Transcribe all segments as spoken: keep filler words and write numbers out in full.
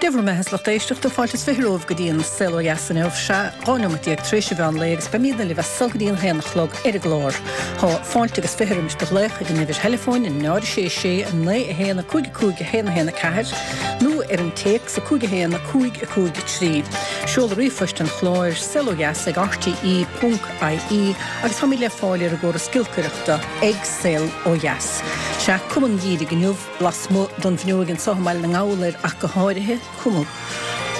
Dé bhur mbeatha, a lucht éisteachta, fáilte is fiche romhaibh go dtí an Saol Ó Dheas inniu. Sea, dhá neomat déag tar éis an mheán lae agus beimidne libh as so go dtí an haon a chlog ar an gclár. Tá fáilte agus fiche roimis do ghlaoch ag an uimhir theileafóin náid a sé sé naoi a haon a cúig a cúig a haon a haon a ceathair nó ar an téacs a cúig a haon a cúig a cúig a trí. Seoladh ríomhphoist an chláir saol ó dheas ag R T E ponc I E agus táimid le fáil ar an gcóras giolcaireachta ag Saol Ó Dheas. Sea, cuma an gheimhridh inniu lasmuigh don bhfuinneog anseo i mBaile na nGall air ach go háirithe, cuma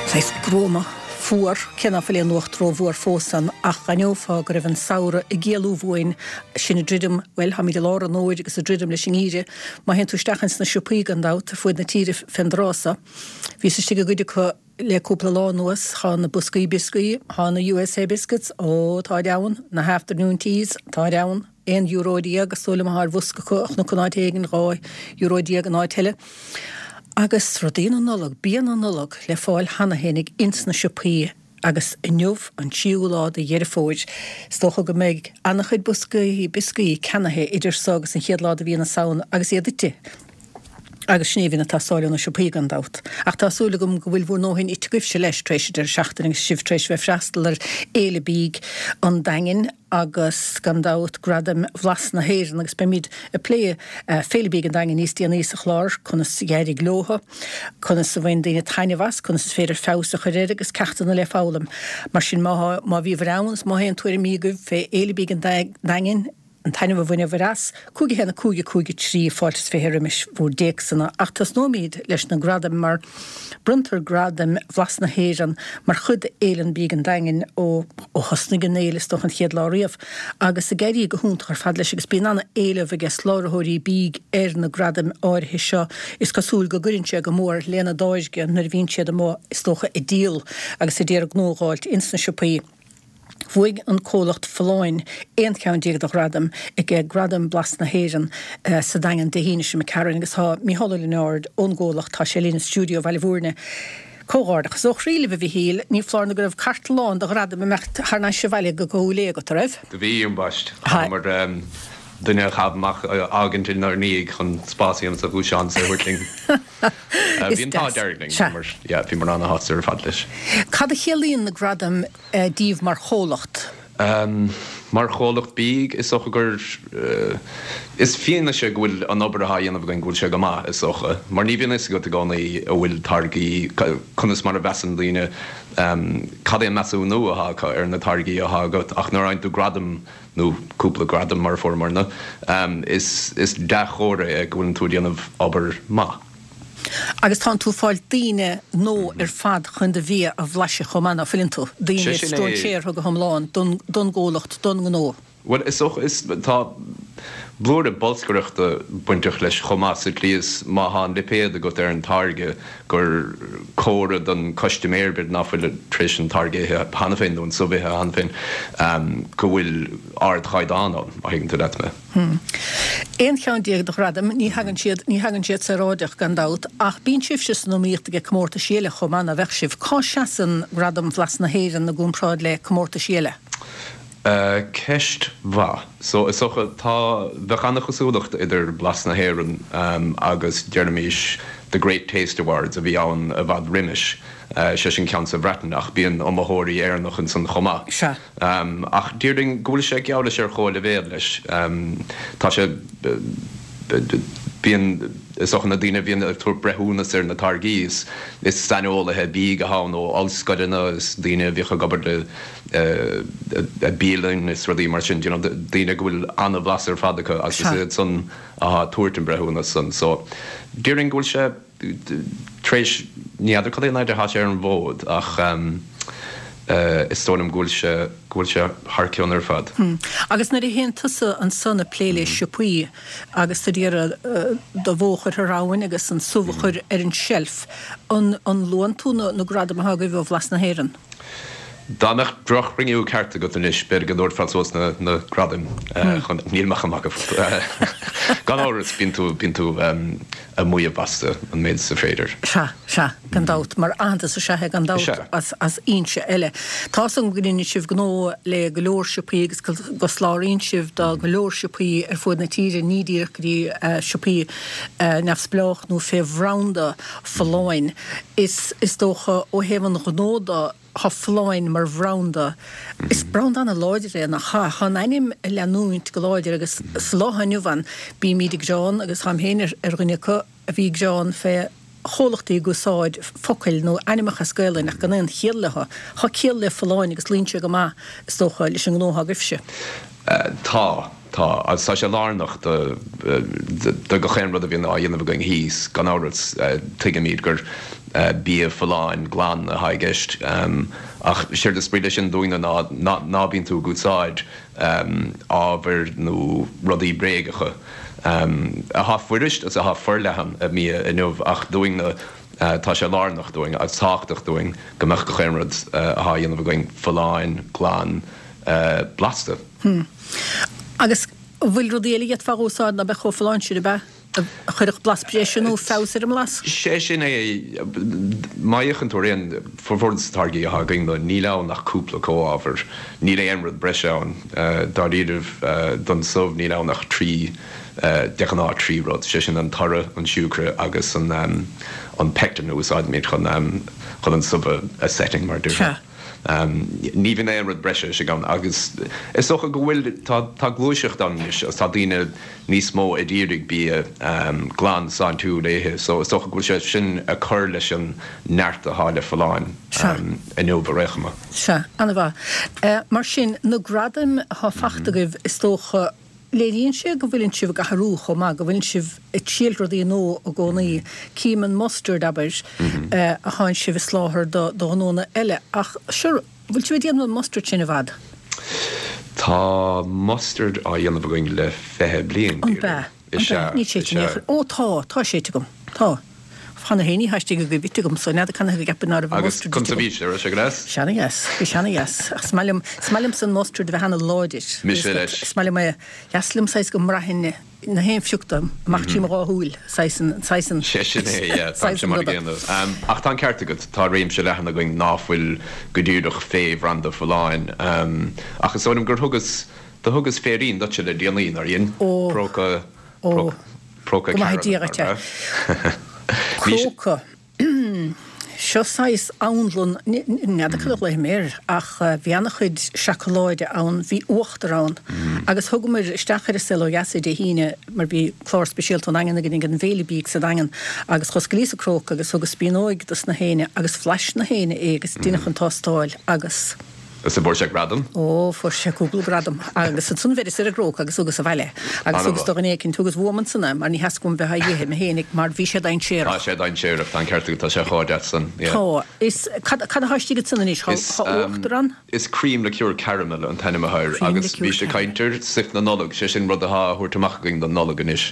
saghas gruama fuar, cé ná fuil aon fhuacht rómhór fós ann, ach d'aithneofá go raibh an samhradh ag éalú uainn. Sin ag druidim, bhuel, táimid i lár an fhómhair agus ag druidim leis an ngeimhreadh. Má théann tú isteach ins na siopaí gan dabht ar fuaid na tíre fén dtráth so, bhíos istigh i gcuid acu le cúpla lá anuas, tá na boscaí bioscaí, tá na U S A biscuits, ó, táid ann, na afternoon teas, táid ann, aon euro déag is dóigh liom atá ar bhosca acu ach nó in áit éigin, dhá euro déag in áit eile. Agus rudaí na Nollag, bia na Nollag le fáil cheana féinig ins na siopaí agus inniu an tríú lá de Dheireadh Fómhair. Is dócha go mbeidh an-chuid boscaí bioscaí ceannaithe idir so agus an chéad lá de mhí na Samhna agus iad ite. Agus sin é a bhíonn ag teastáil ó na siopaí gan dabht. Ach tá súil agam go bhfuil bhur ndóthain ite agaibhse leis tar éis deireadh seachtaine agus sibh tar éis bheith freastal ar Fhéile Bídh an Daingin agus gan dabht Gradaim Bhlas na hÉireann, agus beimid ag plé Féile Bídh an Daingin níos déanaí sa chlár, conas a d'éirigh leo, conas a bhain daoine taitneamh as, conas is féidir feabhas a chur air agus ceachtanna le foghlaim. Mar sin má má bhíobhair ann is má tá aon tuairimí agaibh fé Fhéile Bídh an Daingin, an taitneamh a bhaineabhair as, cúig a haon a cúig a cúig a trí, fáilte is fiche roimis bhur dtéacsanna. Ach tosnóimid leis na gradaim, mar bronntar Gradaim Bhlas na hÉireann mar chuid d'Fhéile Bídh an Daingin ó ó thosnaigh an fhéile, is dócha, an chéad lá riamh, agus ag éirí go hiontach ar fad leis, agus bíonn an-éileamh aige soláthróirí bídh ar na gradaim áirithe seo. Is cosúil go gcuireann sé go mór lena dtáirge nuair a bhíonn siad amuigh, is dócha, ag díol agus ag iarraidh gnó a dh'fháilt ins na siopaí. Bhuaigh an comhlacht Folláin aon cheann déag de ghradaim ag Gradaim Blas na hÉireann sa Daingean Dé hAoine seo imigh agus tá Mícheál Ó Lionáird ón gcomhlacht, tá sé linn i stiúideo Bhaile Bhúirne. Comhghairdeachas ó chroí libh, a Mhichíl, ní foláir nó go raibh cairt lán de ghradaim ag imeacht thar n-ais abhaile go Cúil Aodha agat, an raibh? Do bhí, ambaist. Mar duine a chaitheamh amach fhágaint inár ndiaidh chun spás a dhéanamh sa ghluaisteán is é a thabhairt linn. Bhí an t-ádh dearg linn, mar bhíomar an-shásta ar fad leis. Cad a chiallaíonn na gradaim díbh mar chomhlacht? Mar chomhlacht bídh, is dócha gur is fianaise go bhfuil an obair atá á dhéanamh againn, go bhfuil sé go maith, is dócha. Mar ní bhíonn a fhios agat i gcónaí a bhfuil táirgí, conas mar a mheasann daoine, cad é an measúnú atá acu ar na táirgí atá agat, ach nuair a fhaigheann tú gradam nó cúpla gradam mar a fuaireamarna, is is dea-chomhartha é go bhfuileann tú ag déanamh obair maith. Agus tánn tú ag fáil daoine nua ar fad chun do bhia a bhlaiseadh chomh maith, ná fuileann tú? Daoine stróinséartha go hiomlán don don gcomhlacht, don ngnó. Bhuel, is dócha, is tá blúire bolscaireachta bainteach leis chomh maith, sa tslí is má tá an lipéad agat ar an táirge gur comhartha don custaiméir, b'fhéidir ná fuil tar éis an táirge a ithe cheana féin nó an subh a ithe cheana féin, go bhfuil ardchaighdeán ann, má thuigeann tú leat mé. Aon cheann déag de ghradaim, ní thagann siad, ní thagann siad saoráideach gan dabht, ach bíonn sibhse san iomaíocht ag comórtaisí eile chomh maith, ná bheadh sibh? Cá seasann Gradam Bhlas na hÉireann i gcomparáid le comórtaisí eile? Ceist mhaith. So is dócha, tá, bheadh an-chosúlacht idir Blas na hÉireann agus, deirimis, The Great Taste Awards a bhí ann i bhfad roimis, sé sin ceann sa Bhreatain, ach bíonn iomaitheoirí Éireannach ansan chomh maith. Sea. Ach déarfainn go bhfuil sé geall leis ar chomhleibhéal leis. Tá sé, bíonn, is dócha na daoine a bhíonn ag tabhairt breithiúnas ar na táirgí, is is saineolaithe bídh atá ann ó ollscoileanna, is daoine a bhíodh ag obair le bialann is rudaí mar sin, you know, daoine go bhfuil an-bhlas ar fad acu agus is Sea. iad san atá ag tabhairt an breithiúnas san. So déarfainn go bhfuil sé tar éis, ní fheadar cad é an fhaid atá sé ar an bhfód ach is dóigh liom go bhfuil sé, go bhfuil sé thar cionn ar fad. Agus nuair a théann tusa ansan ag plé le siopaí agus tú d'iarraidh do bhó a chur thar abhainn agus an subh a chur ar an tseilf, an an luann tú na na gradaim atá agaibh ó Bhlas na hÉireann? Dá mbeadh droch-chruinniú ceart agat anois, b'fhéidir go dtabharfá suas na na gradaim chun, níl mé chomh maith go. Gan amhras, bíonn tú, bíonn tú a maíomh astu an méid is féidir. Sea, sea, gan dabht, mar aitheantas is ea é gan dabht as as fhoinse eile. Tá a fhios agam go ndéanann sibh gnó le go leor siopaí agus go soláthraíonn sibh do go leor siopaí ar fud na tíre, ní díreach go dtí siopaí neamhspleách nó fé bhranda Folláin. Is is dócha ó thaobh an ghnó de, Tá Folláin mar bhranda. Is branda ana-láidir é, nach ea? Tá an ainm ag leanúint go láidir agus sa lá atá inniu ann bímíd ag gearán, agus táim féin ar dhuine acu a bhí ag gearán fé chomhlachtaí ag úsáid focail nó ainmneacha as Gaelainn ach gan aon chiall leo. Tá ciall le Folláin agus luíonn sé go maith, is dócha, leis an ngnó atá agaibhse. Tá. Tá, agus tá sé lárnach do do gach aon rud a bhíonn á dhéanamh againn thíos. Gan amhras, tuigimid gur bia folláin glan atá i gceist, ach séard is brí leis sin dúinne ná ná bíonn tú ag úsáid ábhair nó rudaí bréagacha, atá fuirist agus atá forleathan i mbia inniu, ach dúinne tá sé lárnach dúinn agus tábhachtach dúinn go mbeadh gach aon rud atá á dhéanamh againn folláin, glan, blasta. Hm. Agus an bhfuil rudaí eile a d'fhéadfá a úsáid ná beadh chomh folláin sin, ab ea? A chuirfeadh blas breise nó feabhas ar an mblas? Sé sin é. Má fhéachann tú ar aon, formhór de na táirgí atá againn, níl ann ach cúpla comhábhar. Níl aon rud breise ann. Dáiríribh, don subh níl ann ach trí, de ghnáth trí rud, sé sin an toradh, an siúcra agus an an pectin a úsáidimid chun chun an subh a setting, mar a déarfá. Ní bhíonn aon rud breise istigh ann agus is dócha go bhfuil, tá, tá gluaiseacht ann anois agus tá daoine níos mó ag iarraidh bia glan sláintiúil a ithe so is dócha go bhfuil sé sin ag cur leis an neart atá le Folláin inniu ar aon chuma. Sea, an-mhaith. Mar sin, na gradaim atá fachta agaibh is dócha, Léiríonn sé go bhfuileann sibh ag athrú chomh maith, go bhfuileann sibh ag triail rudaí nua i gcónaí. Cím an mustard, abair, a thánn sibh ag soláthar do ghnónna eile, ach sure, bhfuil sibh ag déanamh an mustard sin i bhfad? Tá mustard á dhéanamh againn le fiche bliain, An b'ea? Is ea, Níl sé is ite in aon ea. chor. Ó tá, tá sé ite agam. Tá. Cheana féin ní thaistigh agaibh ite agam so n'fheadar canathaobh a gceapfainn ná raibh an Agus mustard ite conas a agam. bhí sé, raibh sé go deas? Sé ana-dheas, bhí sé ana-dheas. Ach is maith liom, is maith liomsa an mustard a bheith ana-láidir. Mise leis. Is maith liom é, dheas liom saghas go mbraithfinn na haon phioc de amach trí mo dhá shúil, saghas an, saghas an, Sé sin é, yeah, saghas táimse an mar a ruda. gcéanna. Ach tá an ceart agat, tá réimse leathan againn ná fuil go díreach fé bhranda Folláin. Ach is dóigh liom gur thugas, do thugas féirín duitse le déanaí, nár dhein? Ó, Próca, ó. Próca Go maithe Dia caramel, dhuit é. nár ea? Próca. Seo saghas anlann, n'fheadar cad a ghlaofainn air, ach bhí ana-chuid seacaláide ann, bhí uachtar ann. Agus thugamair isteach ar An Saol Ó Dheas é Dé hAoine mar bhí clár speisialta ón Daingean againn ag an bhféile bídh sa Daingean agus dh'osclaíos an cróca agus thugas spíonóig dos na héinne agus bhlais na héinne é agus deineadh an tástáil agus. Is an bhfuair sé gradam? Ó, fuair sé cúpla gradam. Agus ansan bheireas ar an gcróca agus thugas abhaile é. Agus thugas do dhuine éicint, thugas uaim ansan é mar ní theasc uaim bheith á ithe mé fhéinig mar bhí sé dainséarach. Tá sé dainséarach, tá an ceart agat, tá sé chomh deas san, yeah. Tá. Is, cad, cad atá istigh ansan anois? Tá, Is, tá uachtar ann? Is cream liqueur caramel an t-ainm atá air Cream agus liqueur bhís ag caramel. caint ar stuif na Nollag, sé sin rud atá á thabhairt amach againn don Nollaig anois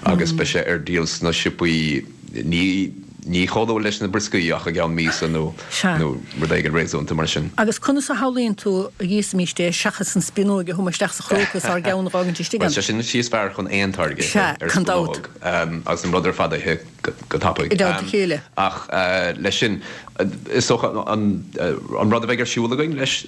agus beidh sé ar díol sna siopaí, ní, Ní chomh luath leis na brioscaí ach i gceann míosa nó Sea. nó rud éigin réasúnta mar sin. Agus conas a shamhlaíonn tú a íosfaimíst é seachas an spíonóig a thumadh isteach sa chróca is ár gceann a dh'fhágaint istigh Bhuel, ann? sé sin an tslí is fearr chun aon táirge a ithe, Sea, ar gan dabht. spíonóg, agus an rud ar fad a ithe go tapaidh. I dteannta a chéile. Ach leis sin, is dócha an an rud a bheidh ar siúl againn leis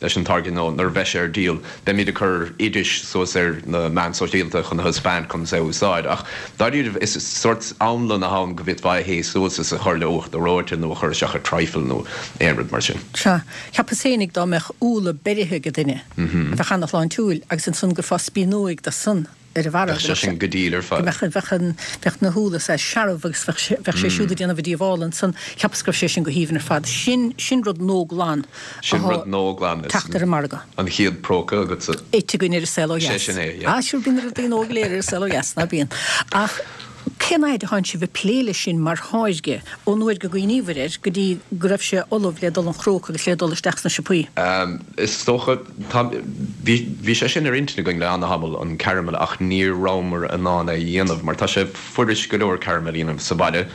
leis an táirge nó nuair a bheidh sé ar díol, beimid ag cur oidis suas ar na meáin sóisialta chun a thaispeáint conas é a úsáid. Ach dáiríre, is sórt anlann atá ann go bhféadfá a thae suas is a chur le uachtar reoite nó a chur isteach i trifle nó aon rud mar sin. Sea, cheapas féinig dá mbeadh úlla beirithe ag duine, a bheadh ana-shláintiúil, agus ansan go gcuirfeá spíonóig de san ar a bharra, Bheadh sé sin go diail ar fad. go mbeadh, bheadh an, bheadh na húlla saghas searbh agus bheadh sé, bheadh sé siúd ag déanamh a díobhála ansan, cheapas go raibh sé sin go haoibhinn ar fad. Sin, sin rud nua glan Sin atá rud nua glan, is teacht ar an margadh. an chéad próca agatsa. Ite againn ar An Saol Ó Sé Dheas. sin é, yeah. Ah, sure, bíonn na rudaí nua go léir ar An Saol Ó Dheas, ná bíonn? Ach cén fhaid a thánn sibh ag plé leis sin mar tháirge, ón uair go gcuimhníobhair air go dtí go raibh sé ullamh le dul an chróca agus le dul isteach sna siopaí? Is dócha, tá, bhí, bhí sé sin ar intinn againn le ana-thamall, an caramel, ach ní rabhamar in ann é a dhéanamh mar tá sé fuirist go leor caramel a dhéanamh sa bhaile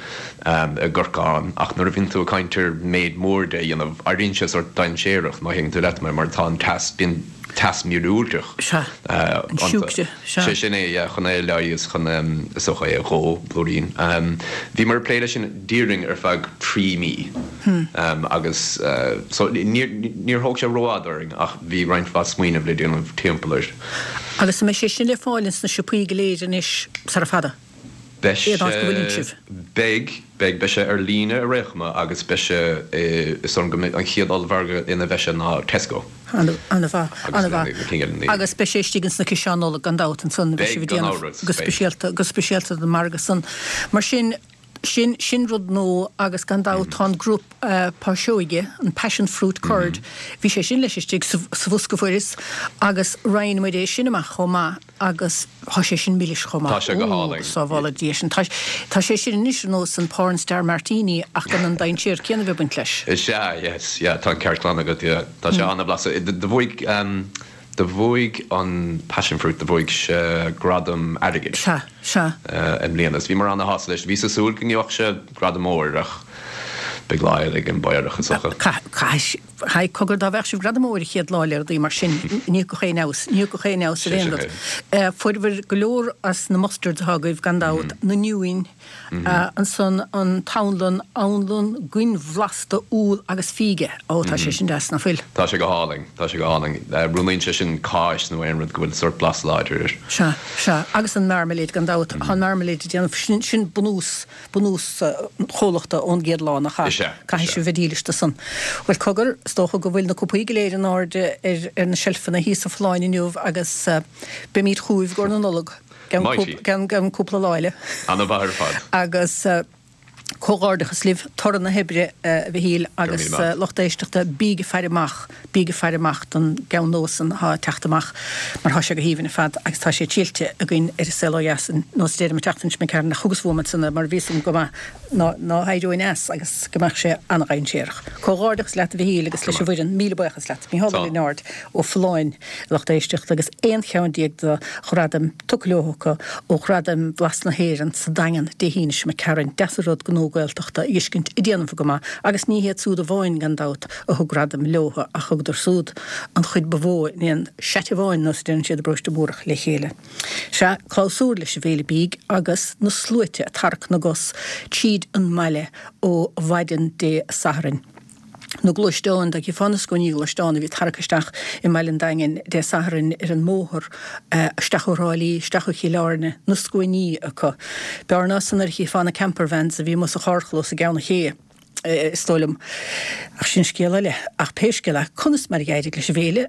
i gcorcán ach nuair a bhíonn tú ag caint ar méid mór de a dhéanamh, éiríonn sé sórt dainséarach má thuigeann tú leat mé mar tá an teas, bíonn teas míorúilteach Sea, an iontu. siúcra, sea. Sé sin é, yeah, chun é a leigheas, chun, is dócha é a dhó. nó blúirín. Bhíomar ag plé leis sin déarfainn ar feadh trí mí agus so níor thóg sé rófhada orainn ach bhí roinnt mhaith smaoineamh le déanamh timpeall air. Agus an mbeidh sé sin le fáil ins na siopaí go léir anois sara fada? Beidh sé, beidh, beidh, beidh sé ar líne ar aon chuma agus beidh sé, is dóigh liom go mbeidh an chéad ollmhargadh ina mbeidh sé ná Tesco. An-mhaith, an-mhaith. Agus beidh sé istigh ins na ciseáin Nollag gan dabht ansan, beidh sibh ag déanamh go speisialta, go speisialta don margadh san. Mar sin, sin, sin rud nua agus gan dabht tá an grup páiseoige, an passion fruit curd, bhí sé sin leis istigh sa, sa bhosca fuaireas agus roinn muid é sin amach chomh maith agus tá sé sin milis chomh maith. Tá sé go hálainn. Sábhála Dia sin. Tá, tá sé sin anois ar nós an porn star martini ach gan an dainséar céanna a bheith ag baint leis. Is ea, yes, yeah, tá an ceart glan agat, yeah. Tá sé an-bhlasta. Do bhuaigh, do bhuaigh an passion fruit, do bhuaigh sé gradam airgid. Sea, sea. I mbliana. Is bhíomar ana-shásta leis. Bhíos ag súil go ngeobhadh sé gradam óir ach beidh lá eile ag an bPaorach is dócha. Caithfidh, haigh, cogar dá bhfaigheadh sibh gradam óir an chéad lá le rudaí mar sin, ní thiocfadh aon fheabhas, ní thiocfadh aon fheabhas ar aon rud. Fuaireabhair go leor as na mustards atá agaibh gan dabht, na niúin, Ansan an t-anlann, anlann goinbhlasta úll agus fíge. Ó, tá sé sin deas, ná fuil? Tá sé go hálainn, tá sé go hálainn. Roghnaíonn sé sin cáis nó aon rud go bhfuil sórt blas láidir air. Sea, sea. Agus an marmalade gan dabht. Tá an marmalade ag déanamh, sin, sin bunús, bunús an chomhlachta ón gcéad lá, nach ea? Is ea, is ea. Caithfidh sibh bheith dílis do san. Bhuel, cogar, is dócha go bhfuil na cupaí go léir in airde ar, ar na seilfeanna thíos sa Folláin inniu agus beimid chugaibh i gcomhair na Nollag. Gan cúpla lá eile. Ana-mhaith ar fad. Agus comhghairdeachas libh, toradh na hoibre, a Mhichíl, agus lucht éisteachta, bíg ag faire amach, bíg ag faire amach don gceann nua san atá ag teacht amach mar tá sé go haoibhinn ar fad agus tá sé triailte againn ar An Saol Ó Dheas ar nós deirim an tseachtain seo imigh tharainn ach thugas uaim ansan é mar bhí 'fhios agam go maith ná héireoinn as agus go mbeadh sé an-dhainséarach. Comhghairdeachas leat a Mhichíl agus leis an bhfoireann, míle buíochas leat. Micheál Ó Lionáird ó Folláin, a lucht éisteachta, agus aon cheann déag de ghradaim tugtha leo acu ó Ghradaim Bhlas na hÉireann sa Daingean Dé hAoine seo imigh tharainn. Deas an rud gnó Gaeltachta a fheiscint ag déanamh go maith agus ní hiad súd amháin gan dabht a thug gradaim leo ach thugadar súd an chuid ba mhó in aon seit amháin nós a deireann siad i bParóiste Múrach le chéile. Sea, clabhsúr leis an bhFéile Bídh agus na sluaite ag tarrac na gcos tríd an mbaile ó mhaidin Dé Sathairn. Na gluaisteáin, dá gcífeá na scuainí gluaisteán a bhí ag tarrac isteach i mbaile an Daingin Dé Sathairn ar an mbóthar isteach ó Thrá Lí, isteach ó Chill Airne, na scuainí acu. B'fhearr ná san nuair a chífeá na campervans a bhí amuigh sa charrchlós i gCeann an Ché, is dóigh liom. Ach sin scéal eile. Ach pé scéal é, conas mar a d'éirigh leis an bhféile?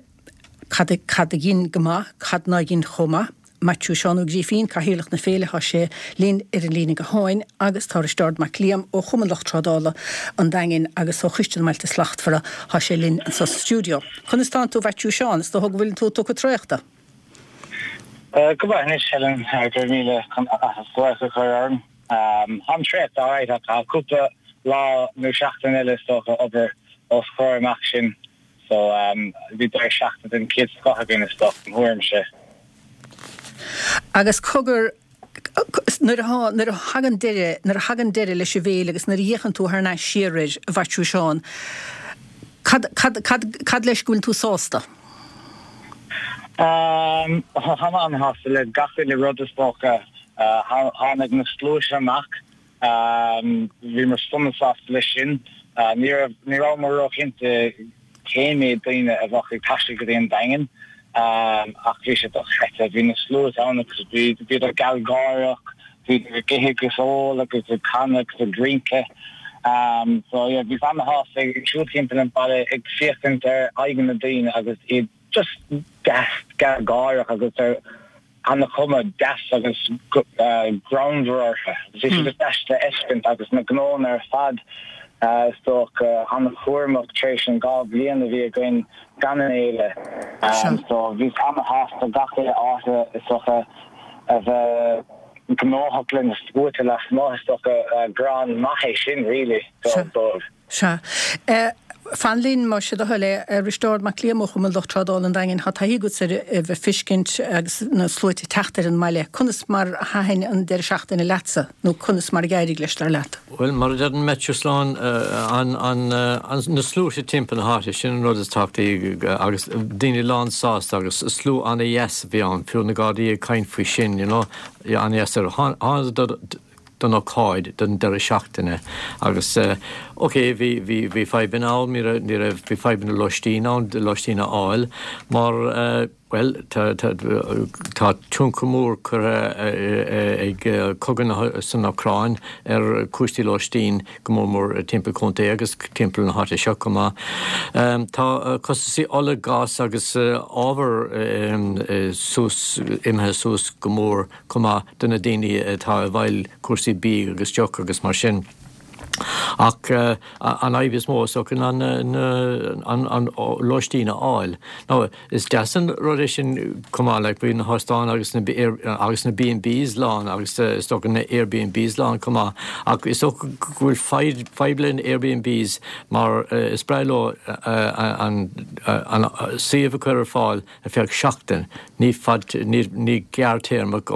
Cad cad a dhein go maith, cad ná dhein chomh maith? Maitiú Seán Ó Grífín, Cathaoirleach na Féile, thá sé linn ar an líne gutháin agus tá Risteárd Mac Liam ó Chumann Lucht Trádála an Daingin agus ó Choiste na mBailte Slachtmhara, thá sé linn anso sa stiúideo. Conas tánn tú a Mhaitiú Seán? Is dócha go bhfuileann tú tugtha traochta? Go maith anois, Helen, go raibh míle as glaoch a chur orm. Táim traochta alright ach tá cúpla lá nó seachtain eile is dócha obair os comhair amach sin. So bhí deireadh seachtaine den chéad scoth againn is dócha, im thuairimse. Agus cogar, nuair a nuair a thagann deireadh, nuair a thagann deireadh leis an bhféile agus nuair a fhéachann tú thar n-ais siar air, a Mhaitiú Seán, cad, cad, cad, cad leis go bhfuil tú sásta? Táim an-shásta le gach uile rud is dócha. Tháinig na sluaite amach. Bhíomar sona sásta leis sin. Ní raibh, ní rabhamar róchinnte cé mhéad daoine a bheadh ag taisteal go dtí an Daingean ach bhí sé dochreidte. Bhí na sluaite ann agus bhí, bhíodar gealgháireach, bhíodar ag ithe agus ól agus ag canadh agus ag rince. So yeah, bhíos ana-shásta ag siúl timpeall an bhaile ag féachaint ar aghaidheanna na daoine agus iad just deas gealgháireach agus ar ana-chuma deas agus greannmhar orthu. Bhí sé just deas le feiscint agus na gnónna ar fad is dócha an-chúramach tar éis an dhá bhliain a bhí againn gan an fhéile. So bhíos ana-shásta gach uile áit is dócha a bheith gnóthach le na sluaite lasmuigh is dócha greann maith é sin really dóibh. Sea. Fan linn, más é do thoil é. Risteárd Mac Liam ó Chumann Lucht Trádála an Daingin, tá taithí agatsa ar a bheith ag feiscint agus na sluaite ag teacht ar an mbaile. Conas mar a thaitin an deireadh seachtaine leatsa, nó conas mar a d'éirigh leis, dar leat? Bhuel, mar a deireann Maitiú Slán, an, an, an, na sluaite timpeall na háite, sin an rud is tábhachtaí agus daoine lán sásta agus slua an-dheas a bhí ann, fiú na Gardaí ag caint faoi sin, you know, an-dheas. Tháingadar don ócáid don deireadh seachtaine agus ok bhí bhí bhí fadhbanna ann ní raibh ní raibh bhí fadhbanna lóistín ann lóistín a fháil mar bhuel tá tá tá tionchar mór curtha ag cogadh san Úcráin ar chúrsaí lóistín go mór mór timpeall contae agus timpeall na háite seo chomh maith. Tá costasaí ola gás agus ábhar suas imithe suas go mór chomh maith do na daoine atá i bhfeighil cúrsaí bídh agus deoch agus mar sin. Ach an fhadhb is mó is dócha ná an lóistín a fháil. Now is deas an rud é sin chomh maith like bhí na hóstáin agus na agus na B and Bs lán agus is dócha na Airbnbs lán chomh maith ach is dócha go bhfuil fadhb le na Airbnbs mar is breá leo an an suíomh a chur ar fáil ar feadh seachtain ní fad ní ní gearrthéarmach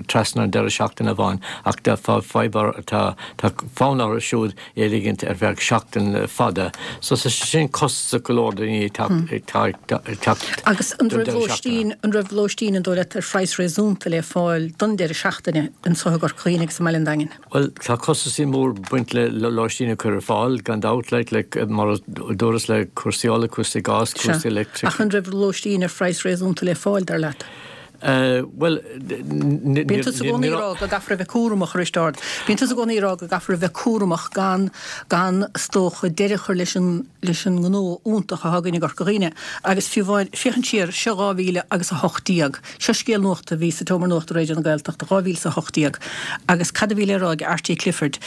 trasna an deireadh seachtaine amháin ach tá fadhb tá tá fonn orthu siúd é a ligint ar feadh seachtain fada. So tá sin costasach go leor daoine ag teacht Agus an raibh lóistín an raibh lóistín an dóigh leat ar phraghas réasúnta le fáil don deireadh seachtaine anseo i gCorca Dhuibhne agus i mBaile an Daingin? Bhuel tá costasaí mór baint le lóistín a chur ar fáil gan dabht like like mar a dúras le cúrsaí ola, cúrsaí gás, cúrsaí leictric. Ach an raibh lóistín ar phraghas réasúnta le fáil dar leat? Bhuel, Bíonn tusa i gcónaí ag rá go gcaithfear a bheith cúramach a Risteárd. Bíonn tusa i gcónaí ag rá go gcaithfear a bheith cúramach gan gan is dócha deireadh a chur leis an leis an ngnó iontach atá againn i gCorca Dhuibhne. Agus fiú amháin, féachaint siar, seo dhá mhíle agus a hocht déag. Seo scéal nuachta a bhí sa tSeomra Nuachta Raidió na Gaeltachta, dhá mhíle is a hocht déag. Agus cad a bhí le rá ag Arty Clifford?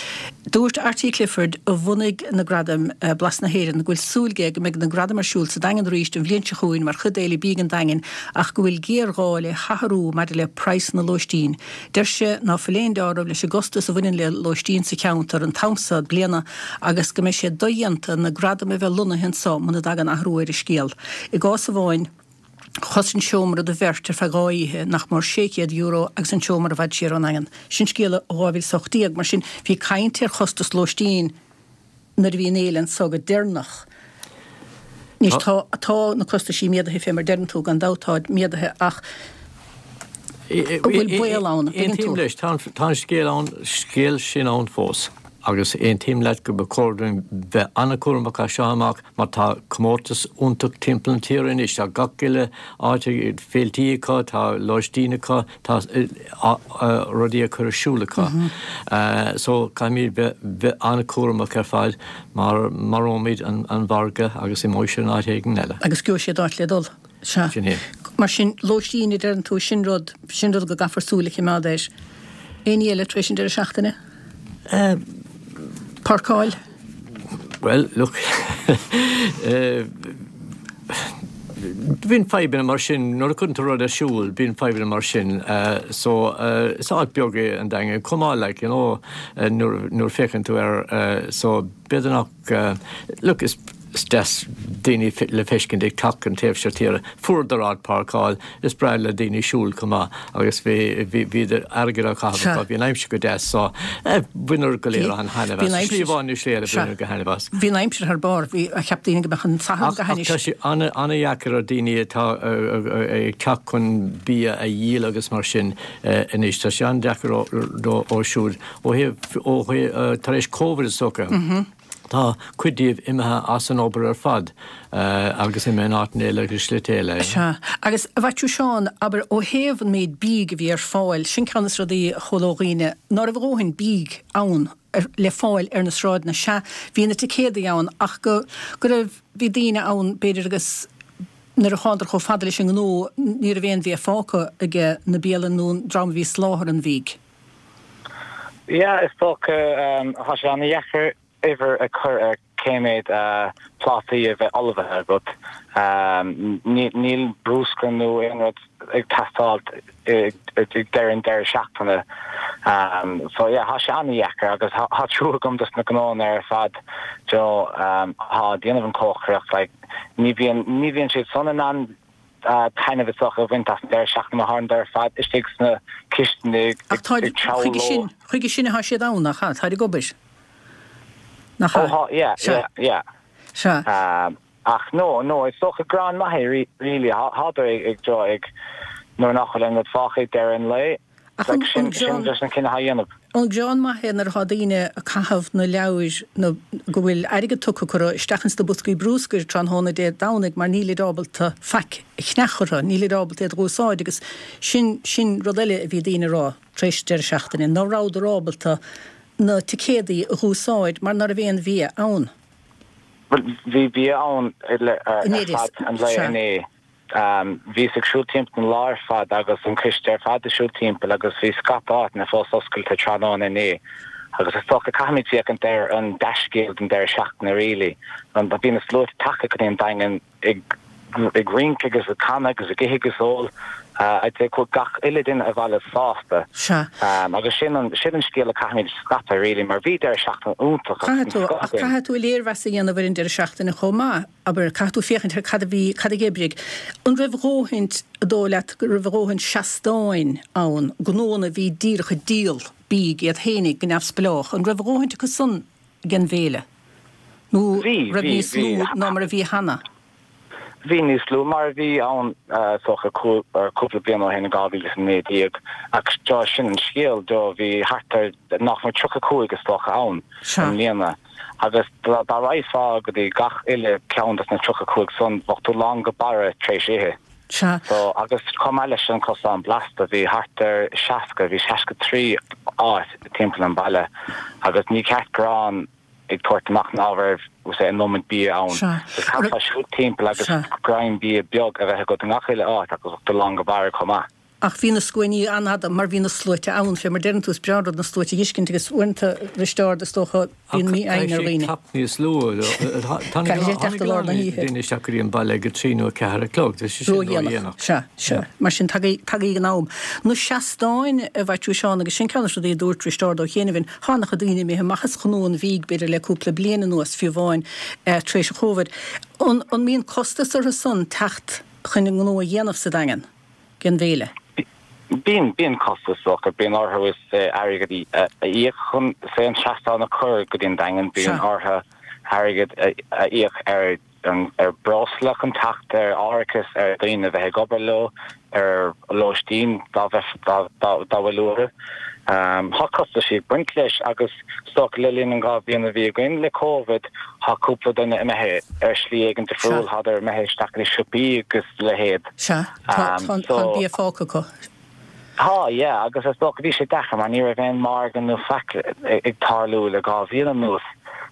Dúirt Arty Clifford, a bhunaigh na gradaim Blas na hÉireann, go bhfuil súil aige go mbeidh na gradaim ar siúl sa Daingean arís an bhliain seo chugainn mar chuid d'Fhéile Bídh an Daingin ach go bhfuil géarghá le hathrú maidir le praghsanna lóistín. Deir sé ná fuil aon dealramh leis an gcostas a bhaineann le lóistín sa cheantar an t-am seo bliana agus go mbeidh sé dodhéanta na gradaim a bheith lonnaithe anseo muna dtagann athrú ar an scéal. I gcás amháin, chosain seomra do bheirt ar feadh dhá oíche nach mór sé chéad euro agus an seomra i bhfad siar ón nDaingean. Sin scéala ó dhá mhíle is a hocht déag. Mar sin, bhí caint ar chostas lóistín nuair a bhí an fhéile anseo go deireanach. Anois tá, tá na costaisí méadaithe fé mar deireann tú, gan dabht táid méadaithe ach an bhfuil baol ann, an dtuigeann tú? Aontaím leis, tá an, tá an scéal ann, scéal sin ann fós agus aontaím leat go ba chóir dúinn bheith an-chúramach as seo amach mar tá comórtas iontach timpeall na tíre anois, tá gach uile áit ag féiltí acu, tá lóistín acu, tá rudaí á cur ar siúl acu. So caithfimid bheith, bheith an-chúramach ar fad mar maróimid an margadh agus imeoidh sé in áit éigin eile. Agus gheobhaidh siad áit le dul. Sea. Sin é. Mar sin, lóistín a deireann tú, sin rud, sin rud go gcaithfear súil a choimeád air. Aon ní eile tar éis an deireadh seachtaine? Páirceáil? Bhuel, look, bíonn fadhbanna mar sin, nuair a chuireann tú rud ar siúl, bíonn fadhbanna mar sin. So, is áit beag é an Daingean chomh maith, like, you know, nuair, nuair a féachann tú air, so b'fhéidir nach, look, is, is deas daoine le feiscint ag teacht an taobh seo tíre. Fuaireadar áit páirceáil, is breá le daoine siúl chomh maith agus bhí, bhí, bhí airgead á chaitheamh acu, bhí an aimsir go deas so bhaineadar go léir an-thaitneamh as. Slí amháin nó slí eile bhaineadar go thaitneamh as. Bhí an aimsir thar barr, bhí, cheap daoine go mbeadh an Satharn go hainnis. Ach tá sé an-dheacair ar daoine atá ag teacht chun bia a dhíol agus mar sin anois, tá sé an-deacair dóibh siúd ó thaobh, ó thaobh, tar éis Covid is dócha. Tá cuid díobh imithe as an obair ar fad agus imithe in áiteanna eile agus slite eile. Sea. Agus a Mhaitiú Seáin, abair, ó thaobh an méid bídh a bhí ar fáil, sin ceann de na rudaí a chuala ó dhaoine, ná raibh a dhóthain bídh ann le fáil ar na sráideanna. Sea, bhí na ticéadaí ann ach go, go raibh, bhí daoine ann, b'fhéidir, agus nuair a thánadar chomh fada leis an ngnó, ní raibh aon bhia fágtha aige na bialann nó an dream a bhí ag soláthar an bhídh. Yeah, is dócha, tá sé an-dheacair uimhir a chur ar cé méad plátaí a bheith ullmhaithe agat. Níl bruscar nó aon rud ag teastáil ag deireadh an deireadh seachtaine. So yeah, tá sé an-dheacair agus tá trua agam dos na gnóanna ar fad you know atá ag déanamh an cócaireacht like ní bhíonn ní bhíonn siad san in ann taitneamh is dócha a bhaint as an deireadh seachtaine mar tá siad ar fad istigh sna cistine ag Ach táid treabhadh chuige leo. sin chuige sin atá siad ann, nach ea? Táid ag obair. Nach Ó ea? thá, yeah, Sea. yeah, yeah. Sea. Ach no, no, is dócha gur an-mhaith é really. Thádar ag, ag, ag, nuair nach bhfuil aon rud fágtha ag deireadh an lae. Like, sin sin just an cinneadh a dhéanamh. An greann maith é nuair atá daoine ag caitheamh na leabhair nó go bhfuil airgead tugtha acu isteach ins na boscaí brúscair tráthnóna Dé Domhnaigh mar nílid ábalta faic a cheannach orthu, nílid ábalta iad a dh'úsáid agus sin sin rud eile a bhí daoine a rá tar éis deireadh seachtaine, ná rabhadar ábalta na ticéadaí a dh'úsáid mar ná raibh aon bhia ann. Bhuel, bhí bia ann ar fad an lae inné. Bhíos ag siúl timpeall an lá ar fad agus an coiste ar fad ag siúl timpeall agus bhí scata áiteanna fós oscailte tráthnóna inné agus is dócha caithfimid féachaint ar an dea-scéal den deireadh seachtaine really. Bhí na sluaite tagtha go dtí an Daingean ag ag rince agus ag canadh agus ag ithe agus ól. I'd say chuaigh gach uile duine abhaile sásta. Sea. Agus sin an sin an scéal a caithfimid scaipeadh really mar bhí deireadh seachtaine iontach agus Caithfidh tú, ach caithfidh tú léirmheas a dhéanamh ar an deireadh seachtaine chomh maith. Abair, caithfidh tú féachaint ar cad a bhí, cad a d'oibrigh. An raibh a dhóthaint, an dóigh leat go raibh a dhóthaint seastáin ann, gnóanna a bhí díreach ag díol bídh iad fhéinig go neamhspleách, an raibh a dhóthaint acu san ag an bhféile? Nó Bhí, raibh bhí, níos bhí. lú ná mar a bhí cheana? Bhí níos lú mar a bhí ann is dócha cúpla bliain ó shin in dhá mhíle is a naoi déag ach do sin an scéal do bhí thart ar nach mór tríocha cúig is dócha ann i mbliana agus dá raghfá go dtí gach uile ceann dos na tríocha cúig san bheadh tú lán go barra tar éis ithe. So agus chomh maith leis an cosán blasta bhí thart ar seasca, bhí seasca trí áit timpeall an baile agus ní ceart go raibh ag tabhairt amach ná raibh an iomad bia ann. Is caithfeá siúl timpeall agus greim bia beag a bheith agat i ngach uile áit agus bheadh tú lán go barra chomh maith. Ach bhí na scuainí an-fhada mar bhí na sluaite ann, fé mar deireann tú, is breá an rud na sluaite a fheiscint agus uaireanta, Risteárd, is dócha, bíonn mí-fhoighne ar dhaoine. Caithfidh teacht níos luath. Tháinig a lán daoine isteach go dtí an baile ag a trí nó a ceathair a chlog, tá sé sin ródhéanach. Sea, sea. Mar sin, tagaigí in am. Na seastáin, a Mhaitiú Seán, agus sin ceann de na rudaí a dúirt Risteárd Ó Céineamhain, tá an-chuid daoine imithe amach as gnó an bhídh, b'fhéidir le cúpla bliain anuas, fiú amháin tar éis an Chóvid. An mbíonn costas orthu san teacht chun a ngnó a dhéanamh sa Daingean? den bhféile. Bíonn, bíonn costas is dócha, bíonn orthu is airgead a íoc chun say an seastán a chur go dtí an Daingean, bíonn orthu airgead a íoc ar an, ar breosla chun teacht, ar árachas, ar dhaoine a bheith ag obair leo, ar lóistín dá bheith, dá, dá, dá bhfuil uathu. Tá costaisí ag baint leis agus is dócha le linn an dhá bhliain a bhí againn le Covid, tá cúpla duine imithe ar shlí éigin difriúil, thádar imithe isteach go dtí siopaí agus a leithéid. Sea, tá an bia fágtha acu. Tá, yeah, agus is dócha bhí sé deacair mar ní raibh aon margadh nó faic ag tarlú le dhá bhliain anuas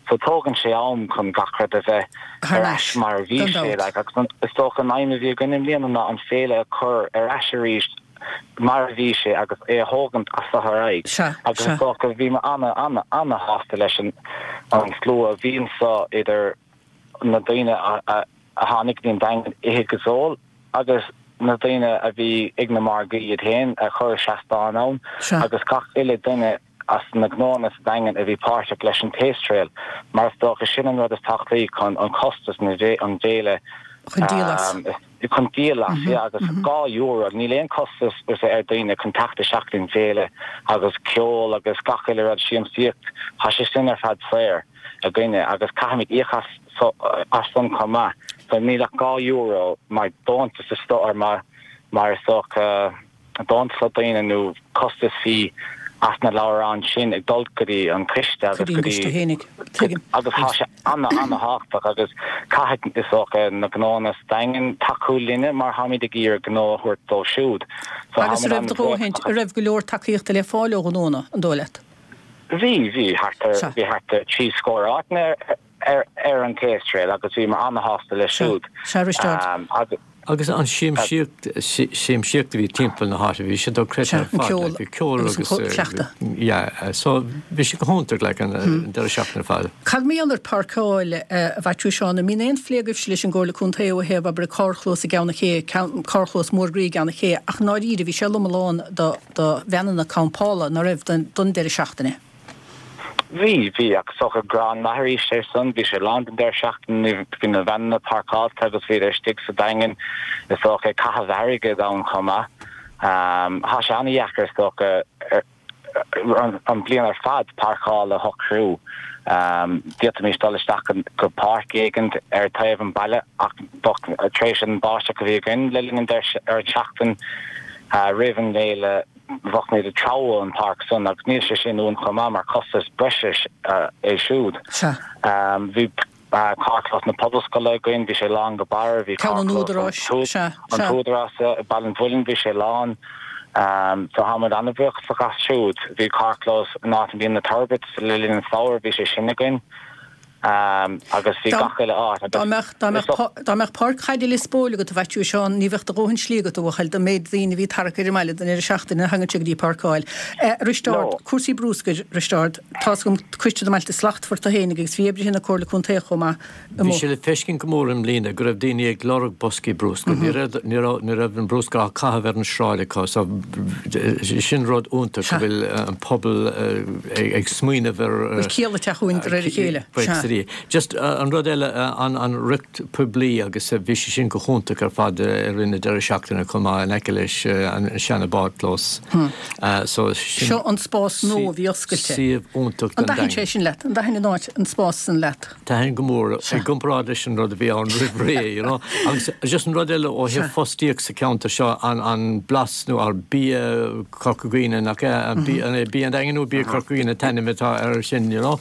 so tógann sé am chun gach rud a bheith ar ais mar a bhí sé like agus is dócha an aidhm a bhí againn i mbliana ná an féile a chur ar ais arís mar a bhí sé agus é a thógaint as so ar aghaidh agus is dócha bhí mé ana ana ana shásta leis an an slua a bhí anso idir na daoine a a a tháinig go dtí an Daingean ithe agus ól agus na daoine a bhí ag na margaí iad féin a chuir seastáin ann agus gach uile duine as na gnóanna sa Daingean a bhí páirteach leis an Taste Trail mar is dócha sin an rud is tábhachtaí chun an costas na an bhféile chun díol as. chun díol as, yeah, agus dhá euro, níl aon costas ar daoine chun teacht isteach don bhféile agus ceol agus gach uile rud, siamsaíocht, tá sé sin ar fad saor againne agus caithfimid íoc as so as san chomh maith, so níl ach dhá euro mar deontas is dócha mar mar is dócha deontas ó daoine nó costas fee as na leabhráin sin ag dul go dtí an coiste agus go dtí agus tá sé ana ana thábhachtach agus caithfidh is dócha na gnóanna sa Daingean tacú linne mar táimid ag iarraidh gnó a thabhairt dóibh siúd. So Agus an raibh do dhóthaint, an raibh go leor tacaíochta le fáil ó ghnóanna, an dóigh leat? Bhí, bhí thart ar, bhí thart ar trí scór áiteanna ar ar an Taste Trail agus bhíomar ana-shásta leis siúd. Sea, Risteárd. Agus. Agus an siamsaíocht, siamsaíocht a bhí timpeall na háite, bhí sé dochreidte Sea, ar an fad, ceol like, bhí ceol agus an agus, cleachtadh. yeah, so bhí sé go hiontach, like, an deireadh seachtaine ar fad. Cad mar gheall ar páirceáil, a Mhaitiú Seán, an mbíonn aon phlé agaibhse leis an gComhairle Contae ó thaobh, abair, carrchlós i gCeann an Ché, carrchlós mór groí i gCeann an Ché, ach i ndáiríre bhí sé lom lán do do veaineanna campála, ná raibh, don deireadh seachtaine? Bhí, bhí, ach is dócha greann maith arís ar san, bhí sé lán don deireadh seachtaine, bhí na veaineanna páirceáilte agus bhíodar istigh sa Daingean, is dócha, ag caitheamh airgid ann chomh maith. Tá sé an-dheacair is dócha an bliain ar fad páirceáil a shocrú. D'fhéadfaimis dul isteach go páirc éigin ar taobh an baile ach tar éis an báisteach a bhí againn le linn an deireadh seachtain roimh an bhféile, Bheadh muid ag treabhadh an páirc san agus níl sé sin uainn chomh maith mar costas breise é siúd. Bhí carrchlós na Pobalscoile againn, bhí sé lán go barr, bhí carrchlós an tÚdarás i Baile an Mhuilinn, bhí sé lán. So tá muid an-bhuíoch as siúd. Bhí carrchlós in áit a mbíonn na Turbits le linn an samhradh, bhí sé sin againn. Agus bhí gach uile áit. Dá mbeadh, dá mbeadh, dá mbeadh páirc chaide Lios Póil agat a Mhaitiú Seán, ní bheadh do dhóthain slí agat a bhuachaill don méid daoine a bhí tarrac ar an mbaile don deireadh seachtaine a thagann sé go dtí páirceáil. A Risteárd, cúrsaí brúscair, Risteárd, tá's agam Coiste na mBailte Slachtmhar tú fhéinig agus bhí oibrithe na Comhairle Contae chomh maith Bhí sé le feiscint go mór i mbliana go raibh daoine ag lorg boscaí brúscair. Ní raibh, ní raibh, ní raibh an brúscar á caitheamh ar an sráid acu so sin rud iontach go bhfuil an pobal ag smaoineamh ar. Bhfuil ciall ag teacht chugainn de réir a chéile. Sea. Just an rud eile, an, an rith poiblí agus bhí sé sin go hiontach ar fad i rith na deireadh seachtaine chomh maith in aice leis an seana bádchlós. So sin. Seo an spás nua a bhí oscailte. Suíomh iontach don Daingean. An dtaithin sé sin leat? An dtaithin an áit, an spás san leat? Thaitin go mór, i gcomparáid leis an rud a bhí ann roimh ré, you know. Agus just an rud eile ó thaobh fostaíocht sa cheantar seo, an, an Blas nó ar Bia Corca Dhuibhne, nach ea? An Bia, an é Bia an Daingin nó Bia Corca Dhuibhne an t-ainm atá air sin, you know.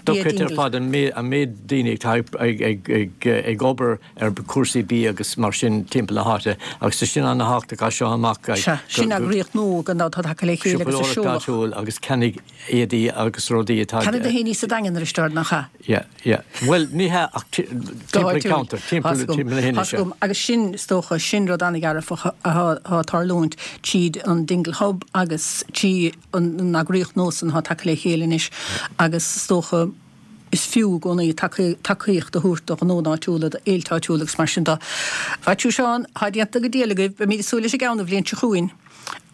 Dochreidte ar fad an méid, an méid daoine atá ag, ag, ag, ag, ag obair ar chúrsaí bia agus mar sin timpeall na háite. Agus tá sin an-thábhachtach as seo amach. Sea, sin eagraíocht nua gan dabht atá tagtha le chéile agus a Siopadóireacht seoladh. áitiúil agus ceannaigh éadaí agus rudaí atá. Ceannaigh tú fhéinig sa Daingean, a Risteárd, nach ea? Yeah, yeah. Bhuel, ní hea ach Go timpeall an háitiúil. cheantair, Tá's timpeall agam, timpeall na tá's hInise. agam. Agus sin, is dócha, sin rud an-dhearfach atá ag tarlúint tríd an Dingle Hub agus trí an an eagraíocht nua san atá tagtha le chéile anois agus is dócha is fiú i gcónaí tacaíocht a thabhairt do ghnónna áitiúla, do fhéilte áitiúla agus mar sin de. Mhaitiú Seán, tá déanta go diail agaibh, beimid ag súil leis an gceann an bhliain seo chugainn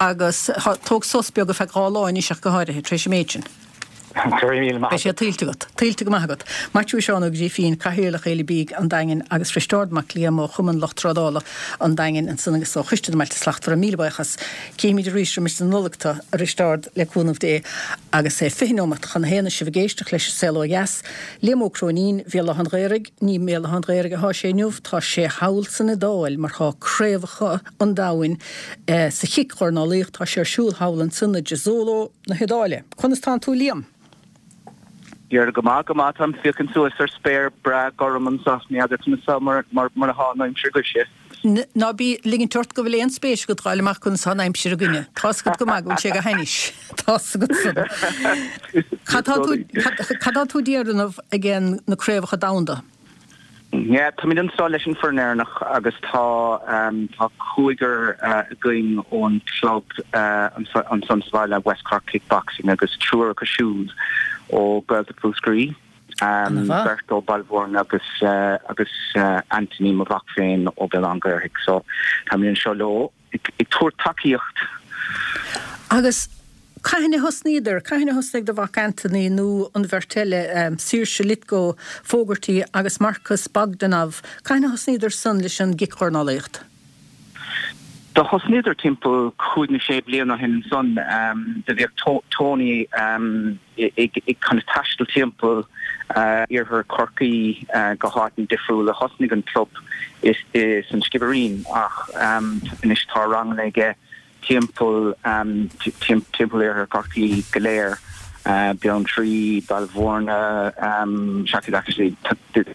agus tóg sos beag ar feadh dhá lá anois ach go háirithe, tar éis an méid sin. Go raibh míle maith Beidh sé tuillte agat. Tuillte go maith agat. Maitiú Seán Ó Grifín, Cathaoirleach Fhéile Bídh an Daingin agus Risteárd Mac Liam ó Chumann Lucht Trádála an Daingin ansan agus ó Choiste na mBailte Slachtmhara. Míle buíochas. Cífimid arís roimis an Nollaig tu, a Risteárd, le cúnamh Dé. Agus é fiche nóimeat chun a haon is sibh ag éisteacht leis an Saol Ó Dheas. Liam Ó Cróinín, Bhéal Átha an Ghaorthaidh, ní i mBéal Átha an Ghaorthaidh athá sé inniu, tá sé thall san Iodáil mar thá craobhacha an domhain sa chic-dhornálaíocht, tá sé ar siúl thall ansan i Jesolo na hIodáile. Conas tánn tú Liam? Dhera, go maith, go maith, táim ag féachaint suas ar spéir breá gorm anseo, ní fheadar conas tá mar mar atá an aimsir agaibhse. Ná bí ag ligint ort go bhfuil aon spéis agat dh'fháil amach conas tá an aimsir againne. Tá's agat go maith go bhfuil sé go hainnis. Tá's agat san. Cad tá tú, cad tá tú a dhéanamh ag na craobhacha domhanda? Yeah, táimid anseo leis an foireann Éireannach agus tá tá cúigear againn ón club ansan sa bhaile, West Cork Kickboxing agus triúr acu siúd ó Gaeltacht Mhúscraí, beirt ó Baile Mhúirne agus agus Anthony, mo mhac féin, ó Bhéal Átha an Ghaorthaidh. So táimid anseo leo. ag tabhairt tacaíocht. Agus cathain a thosnaíodar? Cathain a thosnaigh do mhac Anthony nó an bheirt eile, Saoirse Lithgow Fogarty agus Marcus Bogdanov, cathain a thosnaíodar san leis an gcicdhornálaíocht? Do thosnaíodar timpeall cúig nó sé bliana ó shin ansan. Do bhíodh Tony ag kind of taisteal timpeall iarthar Chorcaí go háiteanna difriúla. Thosnaigh an club san Sciobairín ach anois tá ranganna aige timpeall timpeall iarthar Chorcaí go léir, Beanntraí, Baile Mhúirne, seachas actually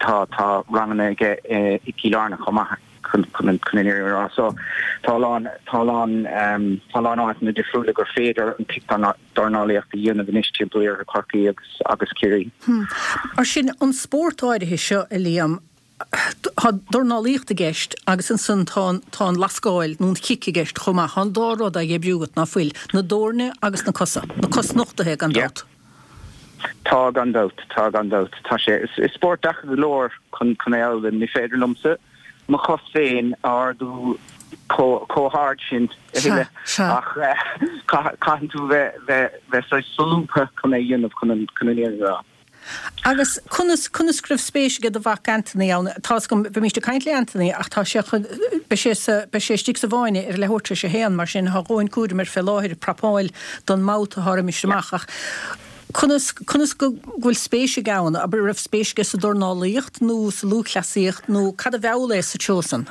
tá tá ranganna aige i gCill Airne chomh maith. chun an fhírinne a rá. So tá a lán, tá a lán, tá a lán áiteanna difriúla gur féidir an cicdhornálaíocht a dhéanamh anois timpeall iarthar Chorcaí agus agus Ciarraí. Mar sin, an spórt áirithe seo, a Liam, tá dornálaíocht i gceist agus ansan tá an, tá an lascáil nó an chic i gceist chomh maith. Tá an dá rud á oibriú agat, ná fuil? Na doirne agus na cosa. Na cosnochtaithe, gan dabht. Tá, gan dabht. Tá, gan dabht. Tá sé, is spórt deacair go leor chun chun é a fhoghlaim. Ní féidir liomsa mo chos féin a ardú chomh hard sin a thuilleadh ach caitheann tú bheith bheith saghas solúbtha chun é a dhéanamh chun an fhírinne a rá. Agus conas, conas go raibh spéis aige do mhac Anthony ann? Tá's agam, bhímist ag caint le Anthony ach tá sé chun, beidh sé sa, beidh sé istigh sa bhfáinne ar a leathuair tar éis a haon, mar sin tá a dhóthain cúraim air fé láthair ag prapáil don mbabhta atá roimis amach ach Conas, conas go bhfuil spéis aige ann? Abair, raibh spéis aige sa dornálaíocht nó sa lúthchleasaíocht nó cad a mheall é sa treo san?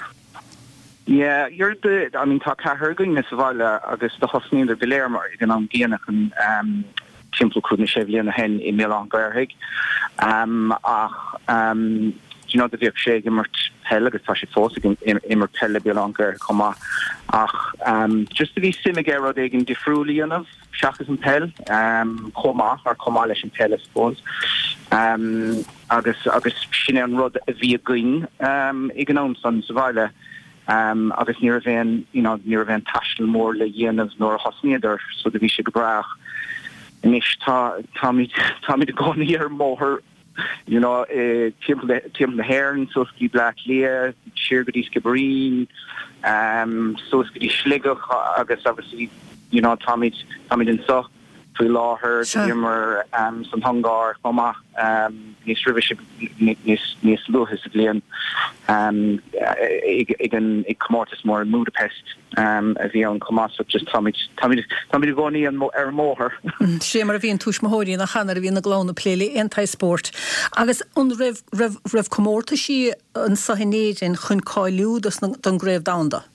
Yeah, you're the I mean tá ceathrar againne sa bhaile agus do thosnaíodar go léir mar ag an am gcéanna chun um, timpeall cúig nó sé bliana ó shin i mBéal Átha an Ghaorthaidh. Um, ach um, you know, do bhíodh sé ag imirt peil agus tá sé fós ag imirt peil le Béal Átha an Ghaorthaidh chomh maith. Ach um, just do bhí suim aige rud éigin difriúil a dhéanamh seachas an peil um, chomh maith ar chomh maith leis an peil I suppose. Um, agus agus sin é an rud a bhí againn um, ag an am san sa bhaile. Um, agus ní raibh aon you know, ní raibh aon taisteal mór le dhéanamh nuair a thosnaíodar so do bhí sé go breá. Anois tá táimid táimid i gcónaí ar an mbóthar you know, eh, timpeall timpeall na hÉireann suas go dtí Bleá Cliath, siar go dtí Skibbereen, um, suas go dtí Sligeach agus obviously you know, táimid táimid anseo faoi láthair bhíomar um, san Ungáir chomh maith um, níos roimhe níos níos luaithe sa bhliain um, ag ag an ag comórtas mór in Budapest um, a bhí ann chomh maith so just táimid táimid táimid i gcónaí an ar an mbóthar. Sé mar a bhíonn tuismitheoirí nach ea nuair a bhíonn na gclann ag plé le aon tsaghas spóirt. Agus an raibh raibh raibh comórtaisí anseo in Éirinn chun cáiliú don gcraobh domhanda?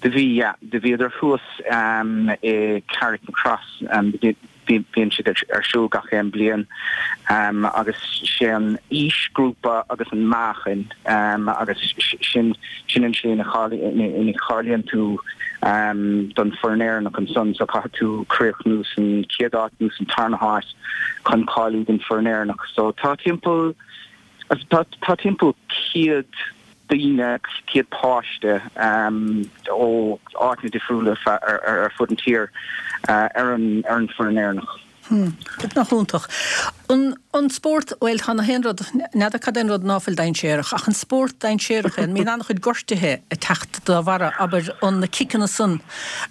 Do bhí yeah, do bhíodar thuas um, i Carrickmacross um, bíonn siad ar siúl gach aon bliain um, agus sé an aoisghrúpa agus an meáchan um, agus sin sin an slí ina cháilíonn tú um, don foireann Éireannach ansan so caithfidh tú críochnú san chéad áit nó san tarna háit chun cáiliú don foireann Éireannach so tá timpeall tá, tá timpeall céad daoine céad páiste um, ó áiteanna difriúla ar, ar, ar fud an tír uh, ar an ar an foireann Éireannach. Hmm. Nach iontach. An, an spórt bhuel tá na haon rud n'fheadar cad é an rud ná fuil dainséarach ach an spórt dainséarach an mbíonn an-chuid gortuithe ag teacht dá bharra abair an na ciceanna san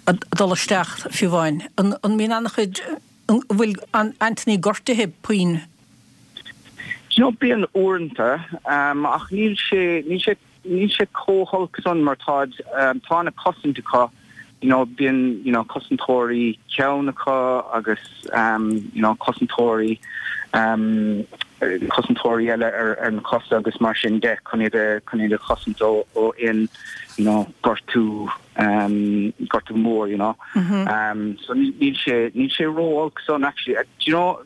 a dul isteach fiú amháin. An, an mbíonn an-chuid an bhfuil an Anthony gortuithe puinn You know, bíonn uaireanta um, ach níl sé níl sé níl sé chomh holc san mar tá um, tá na cosaint acu you know, bíonn you know, cosantóirí ceann acu agus um, you know, cosantóirí um, cosantóirí eile ar, ar na cosa agus mar sin de chun iad a chun iad a chosaint ó ó aon you know, gortú um, gortú mór you know. Mm -hmm. um, so níl sé níl sé ró-olc san actually uh, do you know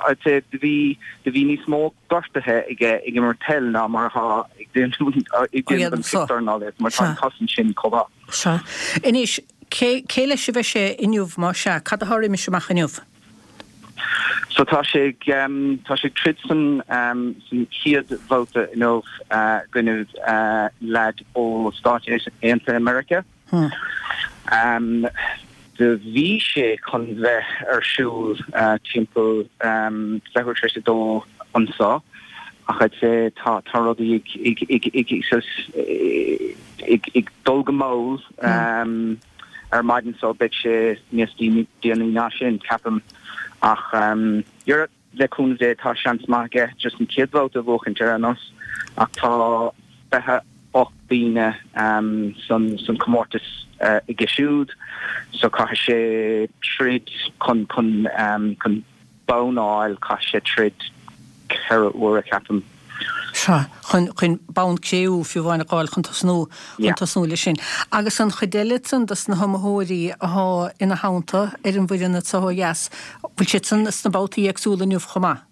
I'd say do bhí do bhí níos mó gortuithe ag ag imirt peil ná mar atá ag ag déanamh an cicdornálaíocht mar tá an chosaint sin chomh maith. Sea. Anois cé cé leis a bheidh sé inniu má sea, cad atá roimis amach inniu? So tá sé um, tá sé troid san um, san chéad bhabhta inniu uh, i gcoinne uh, leaid ó Stáit Aontaithe Meiriceá. Hmm. Um, do bhí sé chun bheith ar siúl uh, timpeall um, leathuair tar éis a dó anseo ach I'd say tá tá rudaí ag ag ag ag ag ag dul go mall um, ar maidin so beidh sé níos déanaí ná sin ceapaim ach um, le cúnamh Dé tá seans maith aige just an chéad bhabhta a bhuachaint ar aon nós ach tá fiche ocht daoine um, san san comórtas uh, aige siúd so caithfidh sé troid chun chun um, chun bonn a fháil caithfidh sé troid ceithre huaire ceapaim. Sea, chun chun bonn cré-umha fiú amháin a fháil chun tosnú chun tosnú leis sin. Agus an chuid eile san dos na hiomaitheoirí atá ina theannta ar an bhfoireann atá ó dheas, bhfuil siad san sna babhtaí éagsúla inniu chomh maith?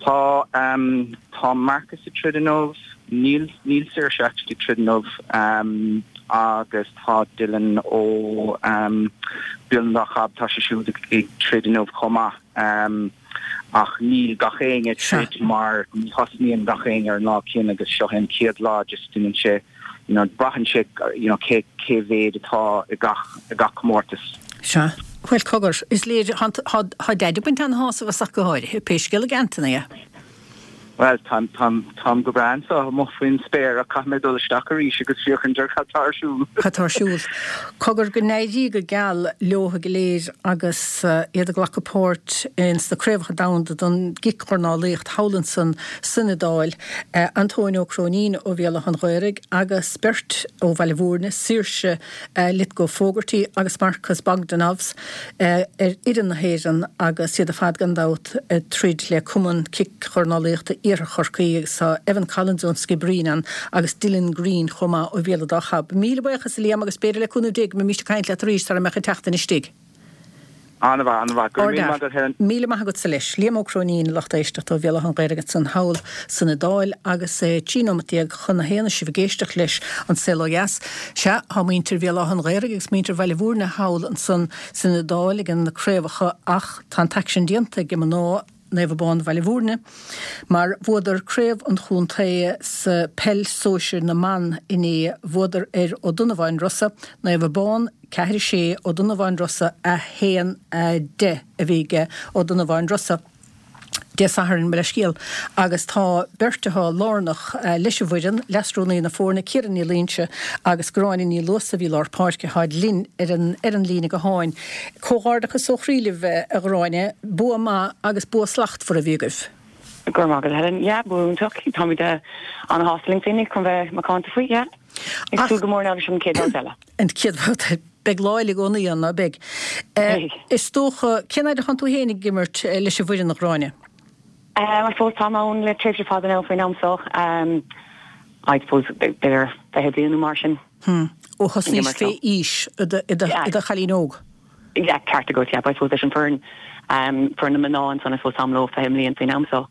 Tá um, tá Marcus ag troid inniu, níl níl Saoirse actually ag troid inniu um, agus tá Dylan ó um, Béal an Dá Chab tá sé siúd ag ag troid inniu chomh maith. Um, ach níl gach éinne ag troid mar ní thosnaíonn gach éinne ar an lá céanna agus seo an chéad lá just déanann sé you know, braitheann sé you know, cé cé mhéad atá i gach i gach comórtas. Sea. Bhuel cogar, is léir tá Daid ag baint an-shásamh as ach go háirithe, pé scéal ag Anthony é. Bhuel táim táim táim go breá anseo amuigh faoin spéir ach caithfidh mé dul isteach arís agus féachaint ar cad tá ar siúl. Cad tá ar siúl. Cogar go n-éirí go geal leo go léir agus iad ag glacadh páirt ins na Craobhacha Domhanda don gCic-Dhornálaíocht thall ansan san Iodáil, Antóin Ó Cróinín ó Bhéal Átha an Ghaorthaidh agus beirt ó Bhaile Mhúirne, Saoirse Lythgoe Fogarty agus Marcus Bogdanovs ar fhoireann na hÉireann agus iad ar fad gan dabht ag troid le Cumann Cic-Dhornálaíochta Iarthar Chorcaí agus tá Evan Collins ón Skibbereen ann agus Dylan Green chomh maith ó Bhéal an Dá Chab. Míle buíochas a Liam agus b'fhéidir le cúnamh Dé go mbeimís ag caint leat arís sara mbeadh an tseachtain istigh. An-mhaith, an-mhaith. Go raibh míle maith agat Helen. Míle maith agatsa leis. Liam Ó Cróinín, a lucht éisteachta ó Bhéal Átha an Ghaorthaidh ansan thall san Iodáil agus trí nóimeat déag chun a haon is sibh ag éisteacht leis An Saol Ó Dheas. Sea, tá muintir Bhéal Átha an Ghaorthaidh agus muintir Bhaile Mhúirne thall ansan san Iodáil ag na craobhacha ach tá an t-aicsean déanta ag mná Naomh Abán Bhaile Mhúirne mar bhuadar craobh an chontae sa peil sóisir na mban inné. Bhuadar ar Ó Donnabháin Rosa, Naomh Abán ceathair a sé, Ó Donnabháin Rosa a haon a deich a bhí ag Ó Donnabháin Rosa. Dé Sathairn, mo leithscéal, agus tá beirt atá lárnach leis an bhfoireann, leasrúnaí na foirne, Ciara Ní Loingsigh agus Gráinne Ní Luasa a bhí lár páirce, táid linn ar an ar an líne gutháin. Comhghairdeachas ó chroí libh, a Ghráinne, bua maith agus bua slachtmhar a bhí agaibh. Go raibh maith agat, Helen. Yeah, bua iontach. Táimid an-shásta linn féinig chun bheith macánta faoi, yeah. Ag súil go mór now leis an chéad bhabhta eile. An chéad bhabhta. Beidh lá eile i gcónaí ann, ná beidh? Beidh. Is dócha, cén fhad atánn tú féin ag imirt leis an bhfoireann, a Ghráinne? I suppose táim ann le tréimhse fada now faoin am so. I suppose b'fhéidir fiche bliain nó mar sin. Hmm. Ó thosnaís fé aois i do chailín óg? Yeah, ceart agat, yeah. But I suppose leis an foireann, foireann na mná ansan, I suppose táim leo fiche mbliain faoin am so.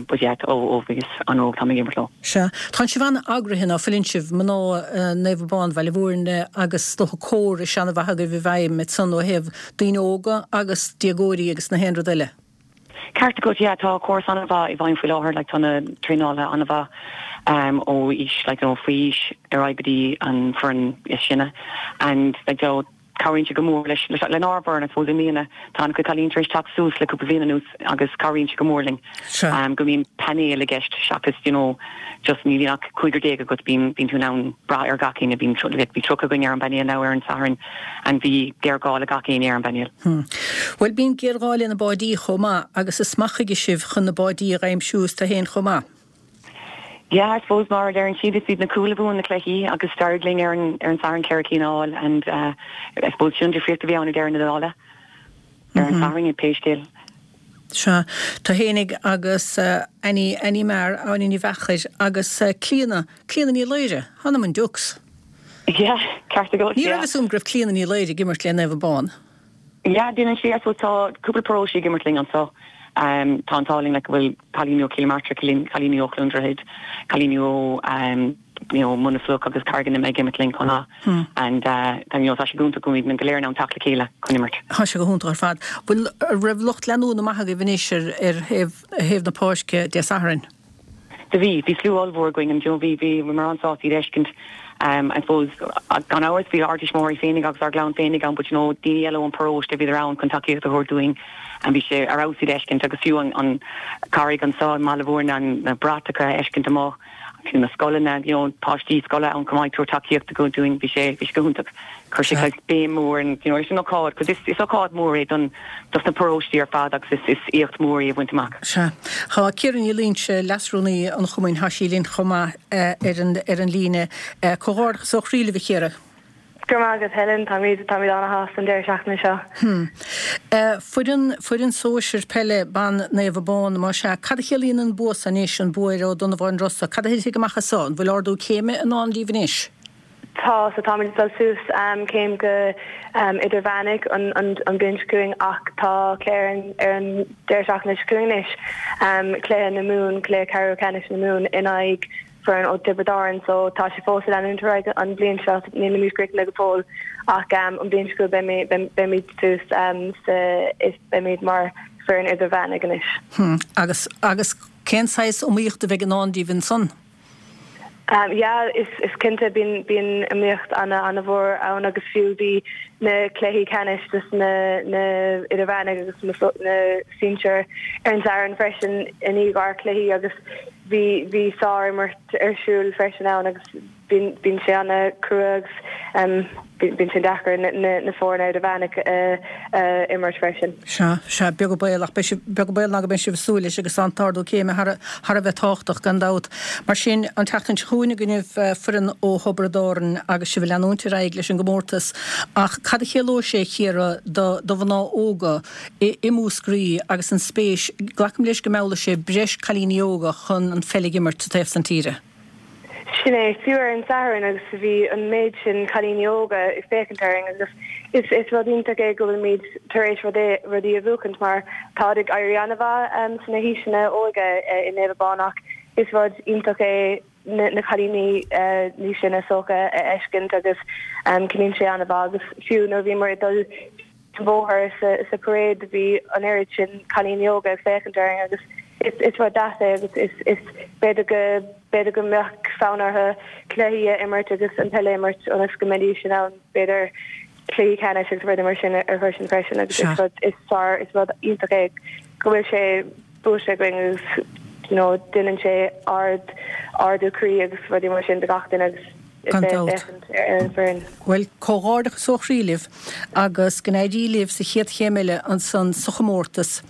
But yeah, ó ó bhíos an-óg táim ag imirt leo. Sea. Tánn sibh an-eagraithe ná fuileann sibh, mná Naomh Abán Bhaile Mhúirne agus is dócha córas an-mhaith agaibh i bhfeidhm ansan ó thaobh daoine óga agus déagóirí agus na haon rud eile. Ceart agat, yeah, tá córas an-mhaith i bhfeidhm faoi láthair, like tá na traenálaithe an-mhaith um ó aois, like you know, faoi aois ar aghaidh go dtí an foireann is sine and like you know, cabhraíonn sé go mór leis lenár bhfoireann, I suppose, i mbliana. Tá an-chuid cailíní tar éis teacht suas le cúpla bliain anuas agus cabhraíonn sé go mór linn go mbíonn painéal i gceist seachas you know just ní bhíonn ach cúigear déag agat, bíonn bíonn tú in ann brath ar gach éinne, bíonn bhí tríocha againn ar an bpainéal now ar an Satharn and bhí géarghá le gach éinne ar an bpainéal. Bhuel bíonn géarghá le na báidí chomh maith agus is maith chuige sibh chun na báidí a dh'aimsiú is tú féin chomh maith. Yeah, I suppose mar a deireann siad, is iad na cúil a bhuann na cluichí agus d'éirigh linn ar an ar an Satharn ceithre cinn a fháil and uh, I suppose sin an difríocht a bhí ann i deireadh na dála ar an Satharn i pé scéal. Sea, tú fhéinig agus uh, Annie Annie Maher, Áine Ní Mheachair agus uh, Clíona, Clíona Ní Laoire, th'anam 'on dukes. Yeah, ceart agat, Ní raibh fhios a'm go raibh Clíona Ní Laoire ag imirt le Naomh Abán. Yeah, déanann sí, I suppose tá cúpla paróiste ag imirt linn anseo. Um, tá an t-ádh linn like go bhfuil cailíní ó Chill Martra, cailíní ó Chluain Droichead, cailíní ó um, you know, Muine Fhliuch agus Carraig an Ime ag imirt linn chomh maith. And uh, tá, you know, tá sé go hiontach go mbíonn go léir in ann teacht le chéile chun imirt. Tá sé go hiontach ar fad. Bhfuil raibh lucht leanúna maith agaibh anois ar ar thaobh thaobh na páirce Dé Sathairn? Do bhí, bhí slua ollmhór againn and you know, bhí bhí bhíomar an-sásta iad a fheiscint. Um, I suppose gan amhras bhí ár dtuismitheoirí féinig agus ár gclann féinig ann, but you know, daoine eile ón paróiste bhíodar ann chun tacaíocht a thabhairt dúinn and bhí sé ar fheabhas iad a fheiscint agus fiú an, an Carraig anseo i mBaile Mhúirne an na bratacha a fheiscint amuigh, fiú na scoileanna, you know, páistí scoile ann chomh maith ag tabhairt tacaíocht go dúinn, bhí sé bhí sé go hiontach. Chuir sé saghas béim mór and you know, leis an ócáid, cos is, is ócáid mór é don dos na paróistí ar fad agus is, is éacht mór é a bhaint amach. Sea. Tá Ciara Ní Loingsigh, leasrúnaí an chumainn, tá sí linn chomh maith ar an ar an líne. Comhghairdeachas ó chroí libh, a Chiara. Go raibh maith agat, Helen. Táimid táimid an-shásta an deireadh seachtaine seo. Hmm. Foireann foireann sóisir peile ban Naomh Abán, más ea, cad a chiallaíonn an bua seo anois, an bua ar Ó Donnabháin Rosa? Cad a thitfidh amach as so? An bhfuil ardú céime i ndán daoibh anois? Tá, so táimid ag dul suas céim go idirmheánaigh an an bhliain seo chugainn ach tá cluiche ar an ar an deireadh seachtaine seo chugainn anois, cluiche na Mumhan, cluiche ceathrú ceannais na Mumhan in aghaidh foireann ó Tiobraid Árann so tá sé fós ag leanúint ar aghaidh an bhliain seo, nílimid críochnaithe go fóill ach an bhliain seo chugainn beimid beimid suas sa is beimid mar foireann idirmheánaigh anois. Hmm, agus agus cén saghas iomaíocht a bheidh i ndán daoibh ansan? Yeah, is is cinnte bíonn bíonn iomaíocht ana ana-mhór ann agus fiú bhí na cluichí ceannais dos na na idirmheánaigh agus na na sinsir ar an Satharn freisin i ndiaidh ár cluichí agus bhí bhí sár-imirt ar siúl freisin ann agus bíonn sé an-chrua agus bíonn sé deacair na foirne idirmheánach a imirt freisin. Sea, sea, beag an baol, ach beidh sibh, beag an baol ná go mbeidh sibh ag súil leis agus tá an t-ardú céime thar a, thar a bheith tábhachtach gan dabht. Mar sin, an tseachtain seo chugainn i gcoinnibh foireann ó Thiobraid Árann agus sibh ag leanúint ar aghaidh leis an gcomórtas. Ach cad a chiallóidh sé, a Chiara, do, do mhná óga i, i Múscraí agus an spéis, glacaim leis go meallfaidh sé breis cailíní óga chun an pheil a imirt sa taobh san tíre? Sin é, fiú ar an Satharn agus bhí an méid sin cailíní óga ag féachaint orainn agus is is rud iontach é go bhfuilimid tar éis rudaí a bhuachaint mar táid ag éirí an-mhaith sna haoiseanna óige i Naomh Abán ach is rud iontach é na cailíní níos sine is dócha a fheiscint agus ciallaíonn sé an-mhaith agus fiú nuair a bhíomar ag dul an bóthar sa parade bhí an oiread sin cailíní óga ag féachaint orainn agus is is rud deas é agus is is b'fhéidir go b'fhéidir go mbeadh fonn orthu cluichí a imirt agus an peil a imirt ionas go mbeidís in ann b'fhéidir cluichí ceannais agus rudaí mar sin a shroisint freisin agus is rud is sár is rud iontach é go bhfuil sé buaite againn agus you know déanann sé ard ardú croí agus rudaí mar sin do gach duine agus Gan dabht. Bhuel, comhghairdeachas ó chroí libh agus go n-éirí libh sa chéad chéim eile ansan sa chomórtas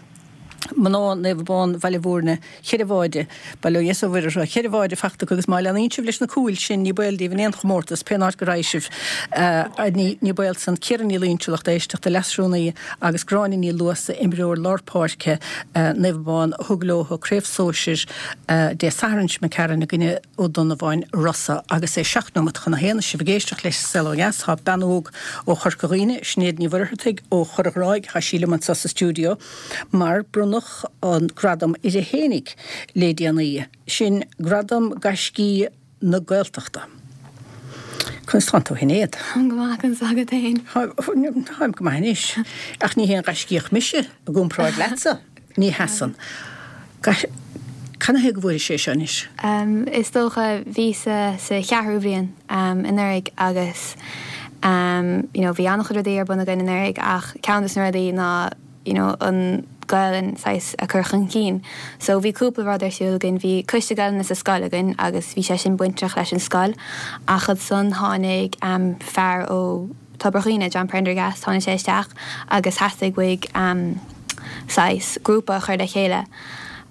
Mná Naomh Abán Bhaile Bhúirne, cheithre bháide, bail ó Dhia is ó Mhuire orthu, cheithre bháide fachta acu agus má leanaíonn sibh leis na cúil sin ní baol daoibh in aon chomórtas pén áit go raghaidh sibh. Ní baol san. Ciara Ní Loingsigh, lucht éisteachta, Leasrúnaí agus Gráinne Ní Luasa, imreoir lár páirce Naomh Abán a thug leo Craobh Sóisir Dé Sathairn seo imigh tharainn i gcoinne Ó Donnabháin Rosa. Agus é seacht nóimeat chun a haon, is sibh ag éisteacht leis An Saol Ó Dheas, tá bean óg ó Chorca Dhuibhne, Sinéad Ní Mhuircheartaigh ó Chorr an Ghráig, tá sí liom anseo sa stiúideo mar bronnadh an gradam uirthi fhéinig le déanaí, sin Gradam Gaiscí na Gaeltachta. Conas tánn tú a Shinéad? Táim go maith, conas tá agat féin? Táim go maith anois, ach ní haon ghaiscíoch mise i gcomparáid leatsa, ní sheasann. Canathaobh go bhfuairis é seo anois? Is dócha, bhíos-sa sa cheathrú bhliain anuraidh agus you know bhí an-chuid rudaí ar bun againn anuraidh ach ceann des na rudaí ná you know an Ghaelainn saghas a chur chun cinn. So bhí cúpla rud ar siúl againn, bhí coiste Gaelainne sa scoil againn agus bhí sé sin bainteach leis an scoil ach ansan tháinig fear ó Tobar Dhuibhne, John Prendergast, tháinig sé isteach agus theastaigh uaidh saghas grúpa a chur le chéile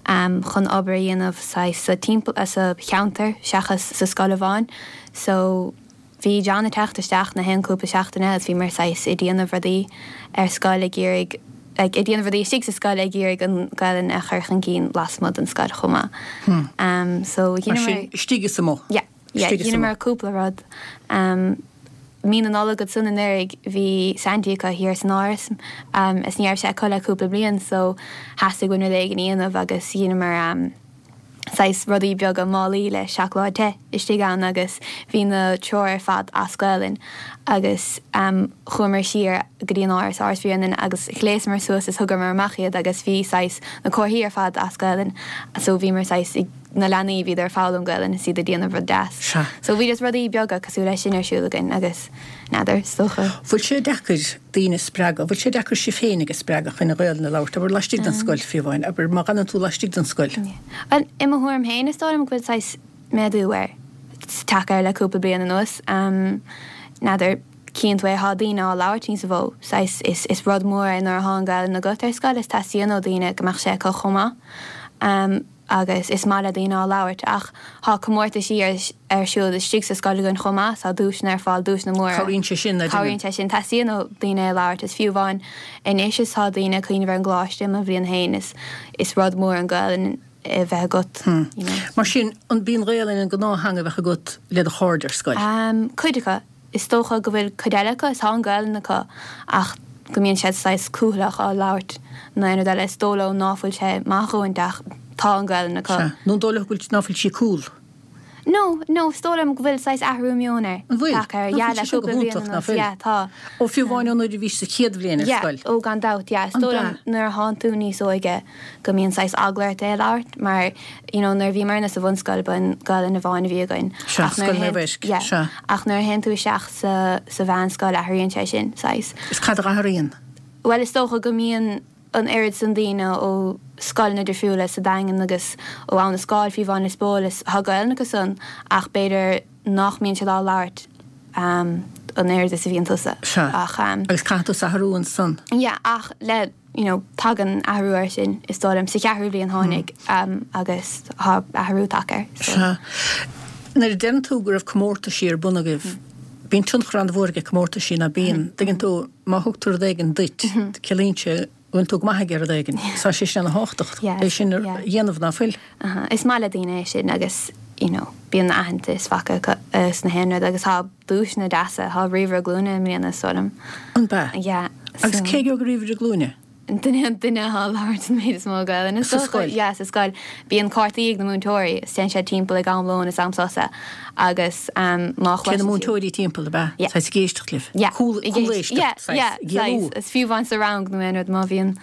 chun obair a dhéanamh saghas sa timpeall, sa cheantar seachas sa scoil amháin. So bhí John ag teacht isteach na haon cúpla seachtaine agus bhíomar saghas ag déanamh rudaí ar scoil ag iarraidh, like ag déanamh rudaí istigh sa scoil ag iarraidh an Ghaelainn a chur chun cinn lasmuigh den scoil chomh maith. So Mar sin istigh is amuigh. Yeah. Yeah, dheineamar cúpla rud. Mí na Nollag ansan anuraidh bhí Santy acu thiar san Áras is ní raibh sé acu le cúpla bliain so theastaigh uainn rud éigin a dhéanamh agus dheineamar saghas rudaí beaga málaí le seacláid te istigh ann agus bhí na treoir ar fad as Gaelainn agus chuamar siar go dtí an Áras, Áras Bhréanainn agus ghléasamar suas is thugamar amach iad agus bhí saghas na comharthaí ar fad as Gaelainn so bhíomar saghas ag na leanaí, bhíodar ag foghlaim Gaelainn is iad ag déanamh rud deas. Sea. So bhí just rudaí beaga cosúil leis sin ar siúl againn agus n'fheadar, is dócha. Bhfuil sé deacair daoine a spreagadh, bhfuil sé deacair sibh féinig a spreagadh chun an Ghaelainn a labhairt, abair laistigh den scoil fiú amháin, abair má dh'fhanann tú laistigh den scoil? Yeah. I mo thuairim féin is dóigh liom go bhfuil saghas méadú air, tagtha air le cúpla bliain anuas. N'fheadar, cíonn tú é, thá daoine á labhairt níos mó, saghas is is rud mór é nuair athá an Ghaelainn agat ar scoil is teastaíonn ó daoine go mbeadh sé acu chomh maith. agus is maith le daoine á labhairt ach thá comórtaisí ar siúl istigh sa scoil againn chomh maith, tá duaiseanna ar fáil, duaiseanna móra. Cabhraíonn sé sin, a deirim. Cabhraíonn sé sin. Teastaíonn ó daoine é a labhairt is fiú amháin anois is tá daoine ag cuimhneamh ar an gcoláiste i mo bhliain féin is is rud mór an Ghaelainn a bheith agat you know. Mar sin, an b'í an Ghaelainn an gnáth-theanga a bheadh agat le do chairde ar scoil? Cuid acu. Is dócha go bhfuil cuid eile acu, is tá an Ghaelainn acu ach go mbíonn siad saghas cúthaileach á labhairt nó aon rud eile. Is dóigh leo ná fuil sé maith dhóint ach tá an Ghaelainn acu. Sea. Nó an dóigh leo go bhfuil, ná fuil sí cool? No, no, is dóigh liom go bhfuil saghas athrú meoin air. An bhfuil? Tagtha air, Ná yeah, fuil le sé sin go cúpla bliain hiontach, ná anuas, fuil? yeah, tá. Ó, fiú amháin ó nuair a bhís sa chéad bhliain ar Yeah, scoil. ó gan dabht, yeah. Is An dóigh liom ea? nuair a thánn tú níos óige go mbíonn saghas eagla ort é a labhairt mar, you know, nuair a bhíomarna sa bhunscoil ba an Ghaelainn amháin a bhí againn. Sea, Ach nuair a Scoil Naomh théann, Eisc, yeah, sea. ach nuair a théann tú isteach sa, sa mheánscoil athraíonn sé sin, saghas. Is cad a athraíonn? Bhuel, is dócha go mbíonn an oiread san daoine ó scoileanna difriúla sa Daingean agus ó Abha na Scáil, fiú amháin Lios Póil, is tá Gaelainn acu san ach b'fhéidir nach mbíonn siad á labhairt um, an oiread is a bhíonn tusa. Sea. Ach um, Agus caithfidh tú athrú ansan. Yeah, ach le you know, tagann athrú air sin is dóigh liom sa cheathrú bliain tháinig um, agus tá athrú tagtha air. So. Sea. Nuair a deireann tú go raibh comórtaisí ar bun agaibh, bíonn tionchar an-mhór ag comórtaisí ná bíonn. Tuigeann tú má thugtar rud éigin duit, ciallaíonn sé go bhfuil tú go maith ag rud éigin. Tá sé sin an-tábhachtach Yes, é sin a yeah. dhéanamh ná fuil. Uh-huh. Is maith le daoine é sin agus you know, bíonn aitheantas faighte sna haon rud agus tá duaiseanna deasa tá ríomhaire glúine i mbliana is dóigh liom. An bea? Yeah. Agus cé go ríomhaire glúine? Duine an duine atá ag labhairt an méid is mó Gaelainne. Sa scoil? Yeah, sa scoil. Bíonn cártaí ag na múinteoirí, is téann siad timpeall ag am lóin is am sosa agus um, má Cé na múinteoirí timpeall a bea? Yeah. Saghas ag éisteacht libh? Yeah. Cúl Ag éist- Yeah, yeah, saghas. Is fiú amháin sa rang nó aon rud má bhíonn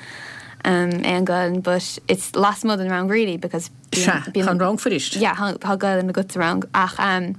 um, aon Gaelainn, but it's lasmuigh den rang really because Sea, tá an rang fuirist. Yeah, tá tá Gaelainn agat sa rang ach um,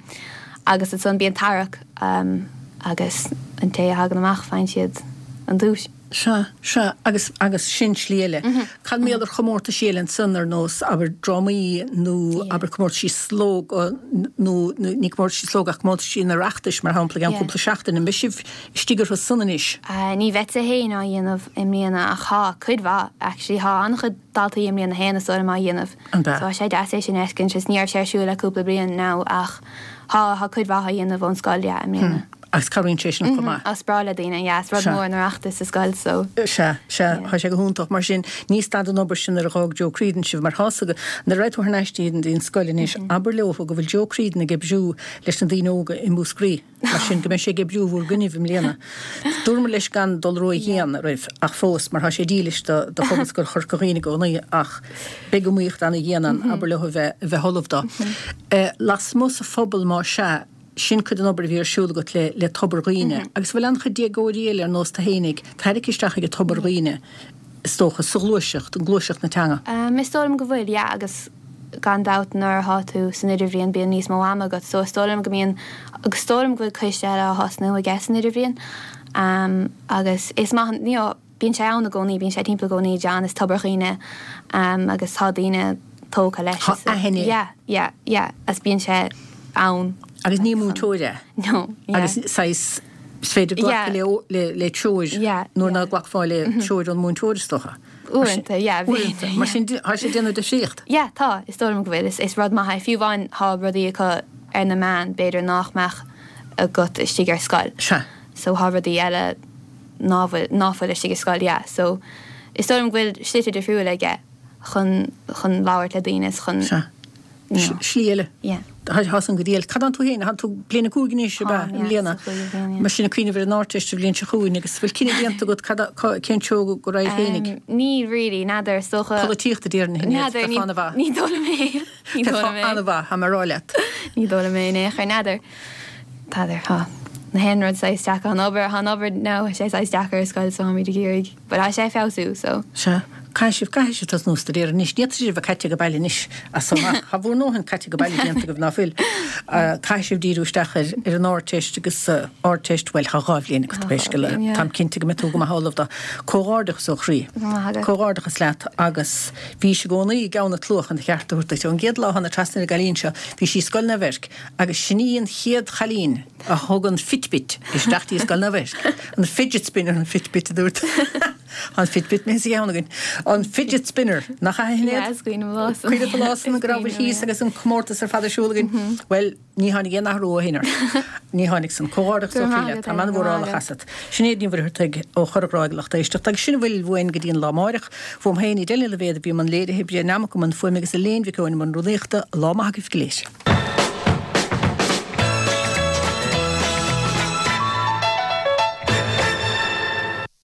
agus ansan bíonn tarrac um, agus an té a thagann amach faigheann siad an duais. Sea, sea, agus agus sin slí eile. Cad mar gheall ar chomórtaisí eile ansan ar nós abair drámaí nó abair comórtaisí slógadh nó nó ní comórtaisí slógadh ach comórtaisí an Oireachtais mar shampla gan Yeah. cúpla seachtain an mbeidh sibh istigh orthu san anois. Uh, ní bheadsa féin á dhéanamh i mbliana ach tá cuid mhaith actually tá an-chuid daltaí i mbliana féin is dóigh liom á dhéanamh. An bea? So tá sé deas é sin a fheiscint is ní raibh sé ar siúl le cúpla bliain now ach tá tá cuid mhaith á dhéanamh ón scoil yeah, i mbliana. Agus cabhraíonn sé sin chomh maith. Is breá le daoine, yeah, is rud Sea. mór an Oireachtas sa scoil so. Sea, sea, tá sé go hiontach mar sin ní stad an obair sin ar dhá Joe Creedon sibh mar thosaigh na raibh tú thar n-ais dtí an scoil anois abair leo go bhfuil Joe Creedon ag oibriú leis na daoine óga i Múscraí. Mar sin go mbeidh sé ag oibriú bhur gcoinnibh i mbliana. Dúramar leis gan dul ródhian roimh ach fós mar tá sé dílis do do Phobalscoil Chorca Dhuibhne i gcónaí ach beidh iomaíocht ana-dhian ann abair leo a bheith a bheith ullamh dó. Eh, Lasmuigh sa phobal má sea sin cuid den obair a bhí ar siúl agat le le Tobar Dhuibhne. Agus bhfuil an-chuid déagóirí eile ar nós tú fhéinig, tarraingthe isteach ag Tobar Dhuibhne is dócha sa ghluaiseacht, an gluaiseacht na teanga. Um, is dóigh liom go bhfuil, yeah, agus gan dabht nuair atá tú san idirbhliain bíonn níos mó ama agat, so is dóigh liom go mbíonn agus is dóigh liom go bhfuil coiste eile á thosnú aige san idirbhliain. Um, agus is maith you know, bíonn sé ann i gcónaí, bíonn sé timpeall i gcónaí John is Tobar Dhuibhne um, agus tá daoine tógtha leis. Tá So- aithne. Yeah, yeah, yeah, agus bíonn sé ann. Agus ní múinteoir é. No, yeah. Agus saghas is féidir glacadh Yeah. le le le treoir Yeah, nuair ná glacfá le treoir an múinteoir is dócha. Uaireanta, yeah, Uaireanta. bhí- Mar sin tá sé déanamh difríocht. Yeah, tá, is dóigh liom go bhfuil is, is rud maith é. Fiú amháin tá rudaí acu ar na meáin, b'fhéidir nach mbeadh agat istigh ar scoil. Sea. So tá rudaí eile ná bhfuil ná fuil istigh ar scoil, yeah. So is dóigh liom go bhfuil slite difriúla aige chun chun labhairt le daoine is chun Sea. you know. Slí eile. Yeah. Tá san go díal. Cad tú féin, tá tú bliain a cúig anois Tá, be yeah, i mbliana. sa chúigiú bliain, yeah. Mar sin ag cuimhneamh ar an Ardteist an bhliain seo chugainn agus bhfuil cinneadh déanta agat cad a- cá- cén treo go raibh féinig. Um, ní really, n'fheadar is dócha. Polaitíocht a déarfainn N'fheadar, ní- an-mhaith. Ní dóigh liom é. Ní dóigh liom é. An-mhaith, tá mé ag rá leat. Ní dóigh liom é in aon chor n'fheadar. N'fheadar tá. Na haon rud saghas deacair an obair an obair ná sé saghas deacair ar scoil so táimid ag iarraidh, but tá sé ag feabhsú so. Sea, caithfidh sibh caithfidh sibh tosnú ag staidéar anois, ní sibh a caite go baile anois as amach. Tá bhur ndóthain caite go baile déanta agaibh ná fuil. Caithfidh sibh díriú isteach ar ar an Ardteist agus uh, Ardteist bhuel tá dhá bhliain agat Tá pé dhá scéal é. bhliain, yeah. Táim cinnte go mbeidh tú go maith ullamh dó. Comhghairdeachas ó chroí. Go maith agat. Comhghairdeachas leat agus bhí sí i gcónaí i gceann na cluach an cheart a thabhairt duit. Ón gcéad lá thána trasna ar an gcailín seo, bhí sí Scoil Naomh Eirc agus sin í an chéad chailín a thug an Fitbit isteach dtí Scoil Naomh Eirc. An fidget spinner an Fitbit a dúirt. An Fitbit mé sa gceann againn. An fidget spinner nach Yeah, aithne is cuimhin liom lá san. Cuid lá san go raibh thíos agus an comórtas ar fad ar siúl againn. Well, ní tháinig aon athrú ó shin ort. Ní tháinig san comhghairdeachas Go ó maith chroí leat. agat, Tá man go maith mhórála agat. chasat. Sinéad Ní Mhuircheartaigh ó Chorr an Ghráig lucht éisteachta agus sin a bhfuil uainn go dtí an lá amárach. Fuaim féin i deileadh a bhéad a bhí an léirithe oibre neamach an fuaim agus a léon bhí an rúnaíochta lá maith agaibh go léir.